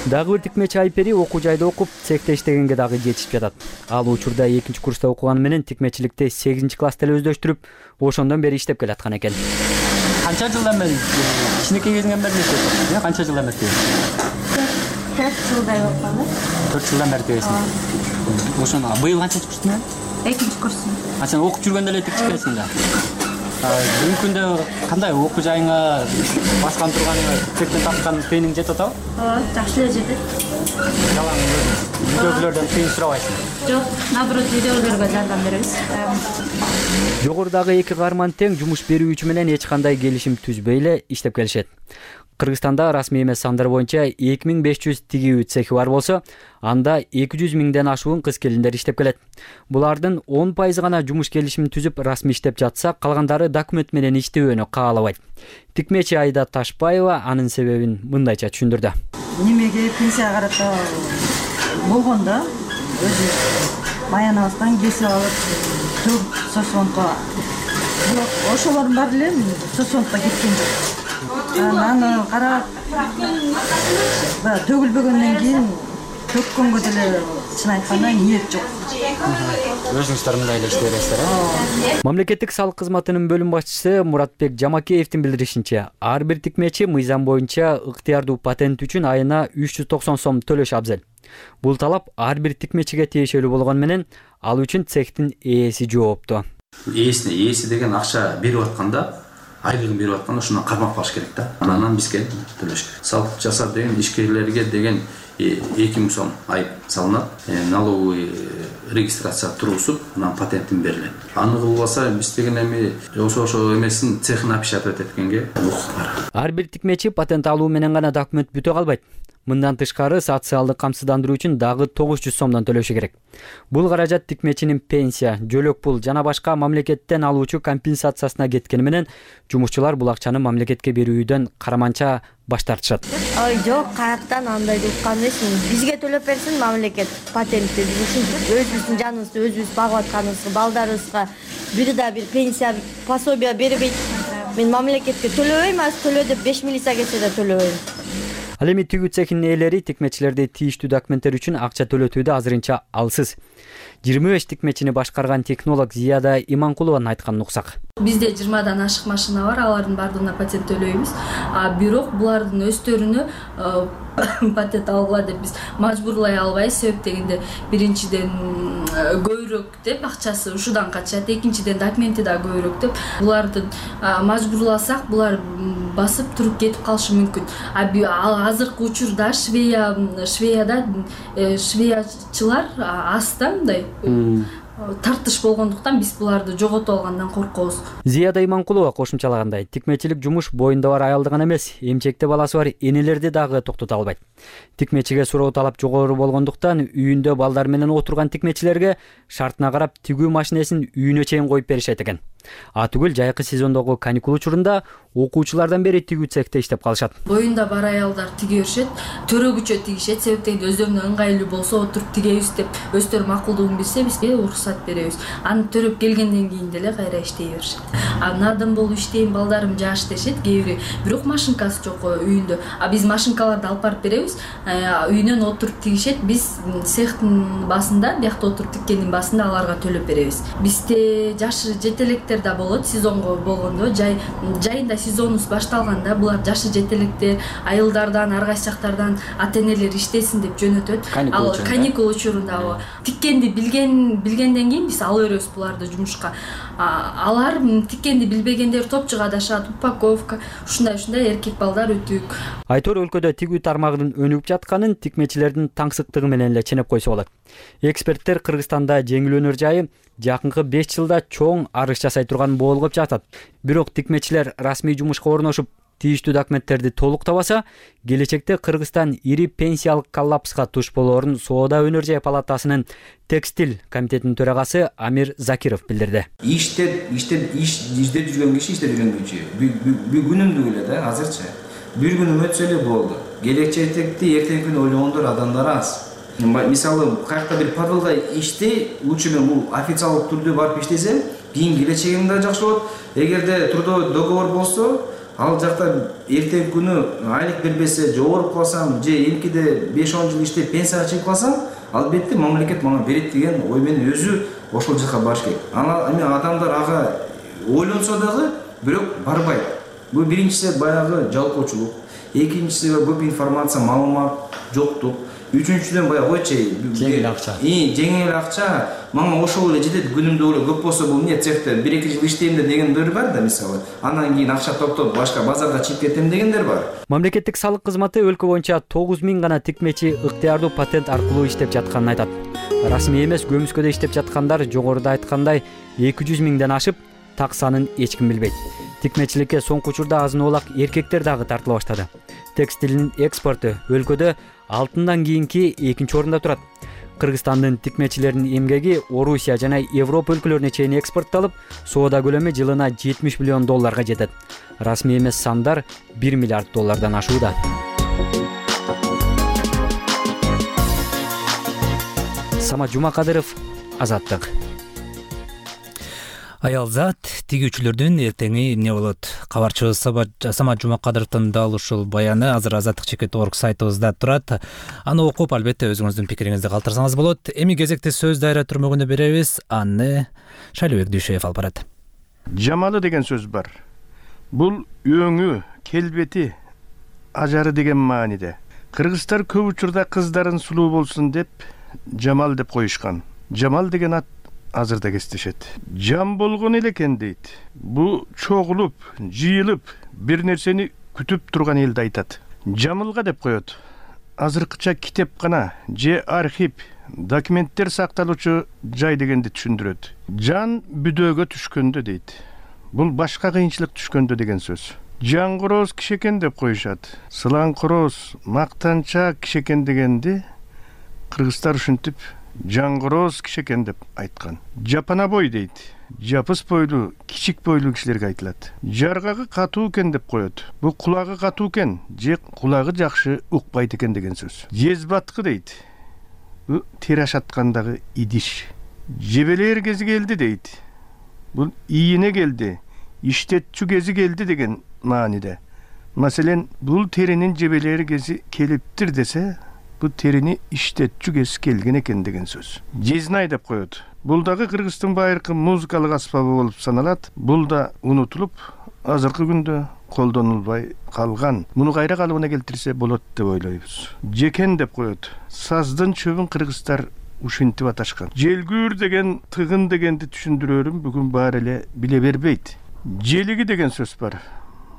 Дагы бир тикмечи Айпери окуу жайда окуп, цехте иштегенге дагы жетишип жатат. Ал учурда экинчи курста окуганы менен тикмечиликте сегизинчи класста эле өздөштүрүп, ошондон бери иштеп келаткан экен. Канча жылдан бери кичинекей кезиңен бери иштеп, канча жылдан бери? төрт жылдай болуп калды. төрт жылдан бери тегесиң. Ошону быйыл канчанчы курстун? экинчи курсун. А сен окуп жүргөндө эле тикчикесиң да. Бүгүнкү күндө кандай окуу жайыңа баскан турганыңа цехтен тапкан кыйының жетип атабы? Ооба, жакшы эле жетет. Жалаң үйдөгүлөрдөн кыйын сурабайсың? Жок, наоборот, үйдөгүлөргө жардам беребиз. Жогорудагы эки каарман тең жумуш берүүчү менен эч кандай келишим түзбөй эле иштеп келишет. Кыргызстанда расмий эмес сандар боюнча эки миң беш жүз тигүү цехи бар болсо, анда эки жүз миңден ашуун кыз келиндер иштеп келет. Булардын он пайызы гана жумуш келишимин түзүп расмий иштеп жатса, калгандары документ менен иштөөнү каалабайт. Тикмечи Айда Ташбаева анын себебин мындайча түшүндүрдү. Немеге пенсияга карата болгондо өзү маянабыздан кесип алып, төгүп сосонко. Бирок ошолордун баары эле сосонко кеткен жок. Анан карап, төгүлбөгөндөн кийин төккөнгө деле чын айтканда ниет жок. Өзүңүздөр мындай эле иштей бересиздер, э? Мамлекеттик салык кызматынын бөлүм башчысы Муратбек Жамакеевдин билдиришинче, ар бир тикмечи мыйзам боюнча ыктыярдуу патент үчүн айына үч жүз токсон сом төлөш абзел. Бул талап ар бир тикмечиге тиешелүү болгон менен, ал үчүн цехтин ээси жоопту. Ээсине ээси деген акча берип атканда, айлыгын берип атканда ошондон кармап калыш керек да. Анан бизге төлөш керек. Салык жасап деген ишкерлерге деген эки миң сом айып салынат. Налоговый регистрация туруусуп, анан патентин берилет. Аны кылбаса биз деген эми ошо ошо эмесин цехин опечатать эткенге укук бар. Ар бир тикмечи патент алуу менен гана документ бүтө калбайт. Мындан тышкары социалдык камсыздандыруу үчүн дагы тогуз жүз сомдон төлөшү керек. Бул каражат тикмечинин пенсия, жөлөк пул жана башка мамлекеттен алуучу компенсациясына кеткени менен жумушчулар бул акчаны мамлекетке берүүдөн караманча баш тартышат. Ой, жок, каяктан андайды уккан эмесмин. Бизге төлөп берсин мамлекет патентти, ушинтип өзүбүздүн жаныбызды өзүбүз багып атканыбызга, балдарыбызга бир да бир пенсия, пособие бербейт. Мен мамлекетке төлөбөйм, аз төлө деп беш милиция келсе да төлөбөйм. Ал эми тигүү цехинин ээлери тикмечилерди тийиштүү документтер үчүн акча төлөтүүдө азырынча алсыз. жыйырма беш тикмечини башкарган технолог Зияда Иманкулованын айтканын уксак. Бизде жыйырмадан ашык машина бар, алардын баардыгына патент төлөйбүз. А бирок булардын өстөрүнө патент алгыла деп биз мажбурлай албайбыз. Себеп дегенде биринчиден көбүрөөк деп акчасы ушудан качат, экинчиден документи да көбүрөөк деп буларды мажбурласак, булар басып туруп кетип калышы мүмкүн. А азыркы учурда Швея Швеяда швеячылар аз да мындай тартыш болгондуктан биз буларды жоготуп алгандан коркобуз. Зияда Иманкулова кошумчалагандай, тикмечилик жумуш боюнда бар аялды гана эмес, эмчекте баласы бар энелерди дагы токтото албайт. Тикмечиге суроо талап жогору болгондуктан үйүндө балдар менен отурган тикмечилерге шартына карап тигүү машинесин үйүнө чейин коюп беришет экен. А түгүл жайкы сезондогу каникул учурунда окуучулардан бери тигүү цехте иштеп калышат. Боюнда бар аялдар тиге беришет, төрөгүчө тигишет, себептен өздөрүнө ыңгайлуу болсо отуруп тигебиз деп өздөрү макулдугун билсе бизге уруксат беребиз. Аны төрөп келгенден кийин деле кайра иштей беришет. А надым болуп иштейм, балдарым жаш дешет, кээ бири. Бирок машинкасы жок үйүндө. А биз машинкаларды алып барып беребиз. Үйүнөн отуруп тигишет, биз цехтин басында, биякта отуруп тиккендин басында аларга төлөп беребиз. Бизде жашы жетелектер да болот, сезонго болгондо, жай жайында сезонубуз башталганда булар жашы жетелектер айылдардан, ар кайсы жактардан ата-энелер иштесин деп жөнөтөт. Ал каникул учурунда тиккенди билген билгенден кийин биз ала беребиз буларды жумушка. Алар тиккенди билбегендер топчуга адашат, упаковка, ушундай-ушундай эркек балдар өтүк. Айтор өлкөдө тигүү тармагынын өнүгүп жатканын тикмечилердин таңсыктыгы менен эле ченеп койсо болот. Эксперттер Кыргызстанда жеңилөөнөр жайы жакынкы беш жылда чоң арыш жасай турган болгоп жатат. Бирок тикмечилер расмий жумушка орношуп, тийиштүү документтерди толук табаса, келечекте Кыргызстан ири пенсиялык коллапска туш болоорун Соода өнөр жай палатасынын текстиль комитетинин төрагасы Амир Закиров билдирди. Иштеп, иштеп, иш издеп жүргөн киши иштеп жүргөн киши. Бүгүнүмдү эле да азырчы. Бир күнүм өтсө эле болду. Келечекти эртеңки күнү ойлогондор адамдар аз. Мисалы, кайякта бир подвалда иштей, лучше мен бул официалдык түрдө барып иштесем, кийин келечегим да жакшы болот. Эгерде трудовой договор болсо, ал жакта эртеңки күнү айлык бербесе, же ооруп калсам, же эмкиде беш он жыл иштеп пенсияга чыгып калсам, албетте мамлекет мага берет деген ой менен өзү ошол жака барыш керек. Ана эми адамдар ага ойлонсо дагы, бирок барбайт. Бул биринчиси баягы жалпоочулук, экинчиси көп информация, маалымат жоктук. Үчүнчүдөн баягы койчу, жеңил акча. И жеңил акча, мага ошол эле жетет, күнүмдө эле көп болсо бул эмне цехте бир эки жыл иштейм дегендер бар да, мисалы. Андан кийин акча топтоп башка базарга чыгып кетем дегендер бар. Мамлекеттик салык кызматы өлкө боюнча тогуз миң гана тикмечи ыктыярдуу патент аркылуу иштеп жатканын айтат. Расмий эмес көмүскөдө иштеп жаткандар жогоруда айткандай эки жүз миңден ашып, так санын эч ким билбейт. Тикмечиликке соңку учурда азын-оолак эркектер дагы тартыла баштады. Текстилдин экспорту өлкөдө алтындан кийинки экинчи орунда турат. Кыргызстандын тикмечилеринин эмгеги Орусия жана Европа өлкөлөрүнө чейин экспортталып, соода көлөмү жылына жетимиш миллион долларга жетет. Расмий эмес сандар бир миллиард доллардан ашууда. Самат Жумакадыров, Азаттык. Аялзат тигүүчүлөрдүн эртеңи эмне болот? Кабарчыбыз Самат Жумакадыровдун дал ушул баяны азыр азаттык чекит точка орг сайтыбызда турат. Аны окуп, албетте өзүңүздүн пикириңизди калтырсаңыз болот. Эми кезекте сөз дайра түрмөгүнө беребиз. Аны Шайлыбек Дүйшөев алып барат. Жамалы деген сөз бар. Бул өңү, келбети, ажары деген мааниде. Кыргыздар көп учурда кыздарын сулуу болсун деп жамал деп коюшкан. Жамал деген ат азырда кестешет. Жам болгон эле экен дейт. Бу чогулуп, жыйылып, бир нерсени күтүп турган элди айтат. Жамылга деп коет. Азыркыча китепкана же архив, документтер сакталуучу жай дегенди түшүндүрөт. Жан бүдөөгө түшкөндө дейт. Бул башка кыйынчылык түшкөндө деген сөз. Жаңгороз киши экен деп коюшат. Сылаңкороз, мактанчак киши экен дегенди кыргыздар ушинтип жаңгороз киши экен деп айткан. Жапана бой дейт. Жапыс бойлуу, кичик бойлуу кишилерге айтылат. Жаргагы катуу экен деп коет. Бул кулагы катуу экен, же кулагы жакшы укпайт экен деген сөз. Жезбаткы дейт. Бул тери ашаткандагы идиш. Жебелер кези келди дейт. Бул ийине келди, иштетчү кези келди деген мааниде. Маселен, бул теринин жебелери кези келиптир десе, бул терини иштетчү кези келген экен деген сөз. Жезнай деп коет. Бул дагы Кыргыздын байыркы музыкалык аспабы болуп саналат. Бул да унутулуп, азыркы күндө колдонулбай калган. Муну кайра калыбына келтирсе болот деп ойлойбуз. Жекен деп коет. Саздын чөбүн кыргыздар ушинтип аташкан. Желгүүр деген, тыгын дегенди түшүндүрөрүм бүгүн баары эле биле бербейт. Желиги деген сөз бар.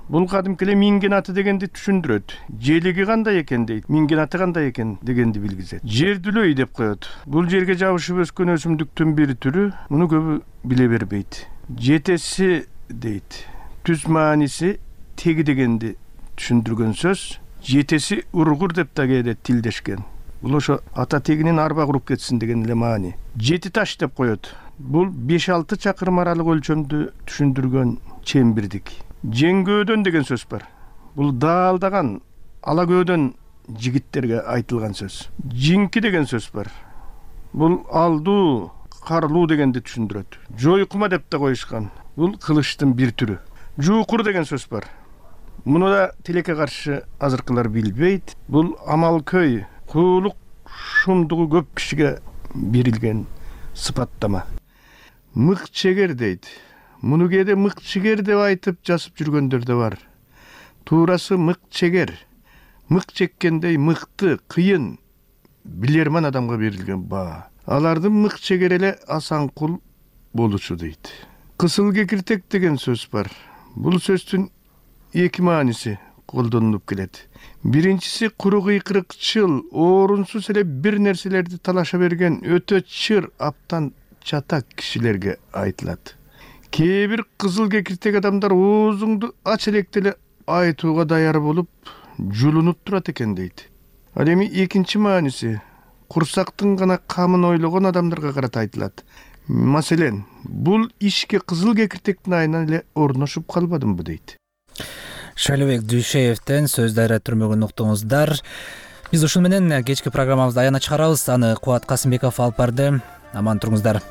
Бул кадимки эле минген аты дегенди түшүндүрөт. Желиги кандай экен дейт, минген аты кандай экен дегенди билгизет. Жердүлөй деп коет. Бул жерге жабышып өскөн өсүмдүктүн бир түрү, муну көбү биле бербейт. Жетеси дейт. Түз мааниси теги дегенди түшүндүргөн сөз. Жетеси ургур деп да кээде тилдешкен. Бул ошо ата тегинин арба куруп кетсин деген эле маани. Жети таш деп коет. бул беш алты чакырым аралык өлчөмдү түшүндүргөн чембирдик. Жеңгөөдөн деген сөз бар. Бул даалдаган ала көөдөн жигиттерге айтылган сөз. Жинки деген сөз бар. Бул алдуу, карлуу дегенди түшүндүрөт. Жойкума деп да коюшкан. Бул кылычтын бир түрү. Жуукур деген сөз бар. Муну да тилекке каршы азыркылар билбейт. Бул амалкөй, куулук шумдугу көп кишиге берилген сыпаттама. Мык чегер дейт. Муну кээде мык чегер деп айтып жазып жүргөндөр да бар. Туурасы мык чегер. Мык чеккендей мыкты, кыйын, билерман адамга берилген баа. Алардын мык чегер эле асанкул болушу дейт. Кысыл кекиртек деген сөз бар. Бул сөздүн эки мааниси колдонулуп келет. Биринчиси куру кыйкырыкчыл, орунсуз эле бир нерселерди талаша берген өтө чыр, аптан чатак кишилерге айтылат. Кээ бир кызыл кекиртек адамдар оозуңду ач электе эле айтууга даяр болуп, жулунуп турат экен дейт. Ал эми экинчи мааниси курсактын гана камын ойлогон адамдарга карата айтылат. Маселен, бул ишке кызыл кекиртектин айынан эле орношуп калбадымбы дейт. Шайлыбек Дүйшеевден сөз дайра түрмөгүн уктуңуздар. Биз ушун менен кечки программабызды аягына чыгарабыз. Аны Кубат Касымбеков алып барды. Аман туруңуздар.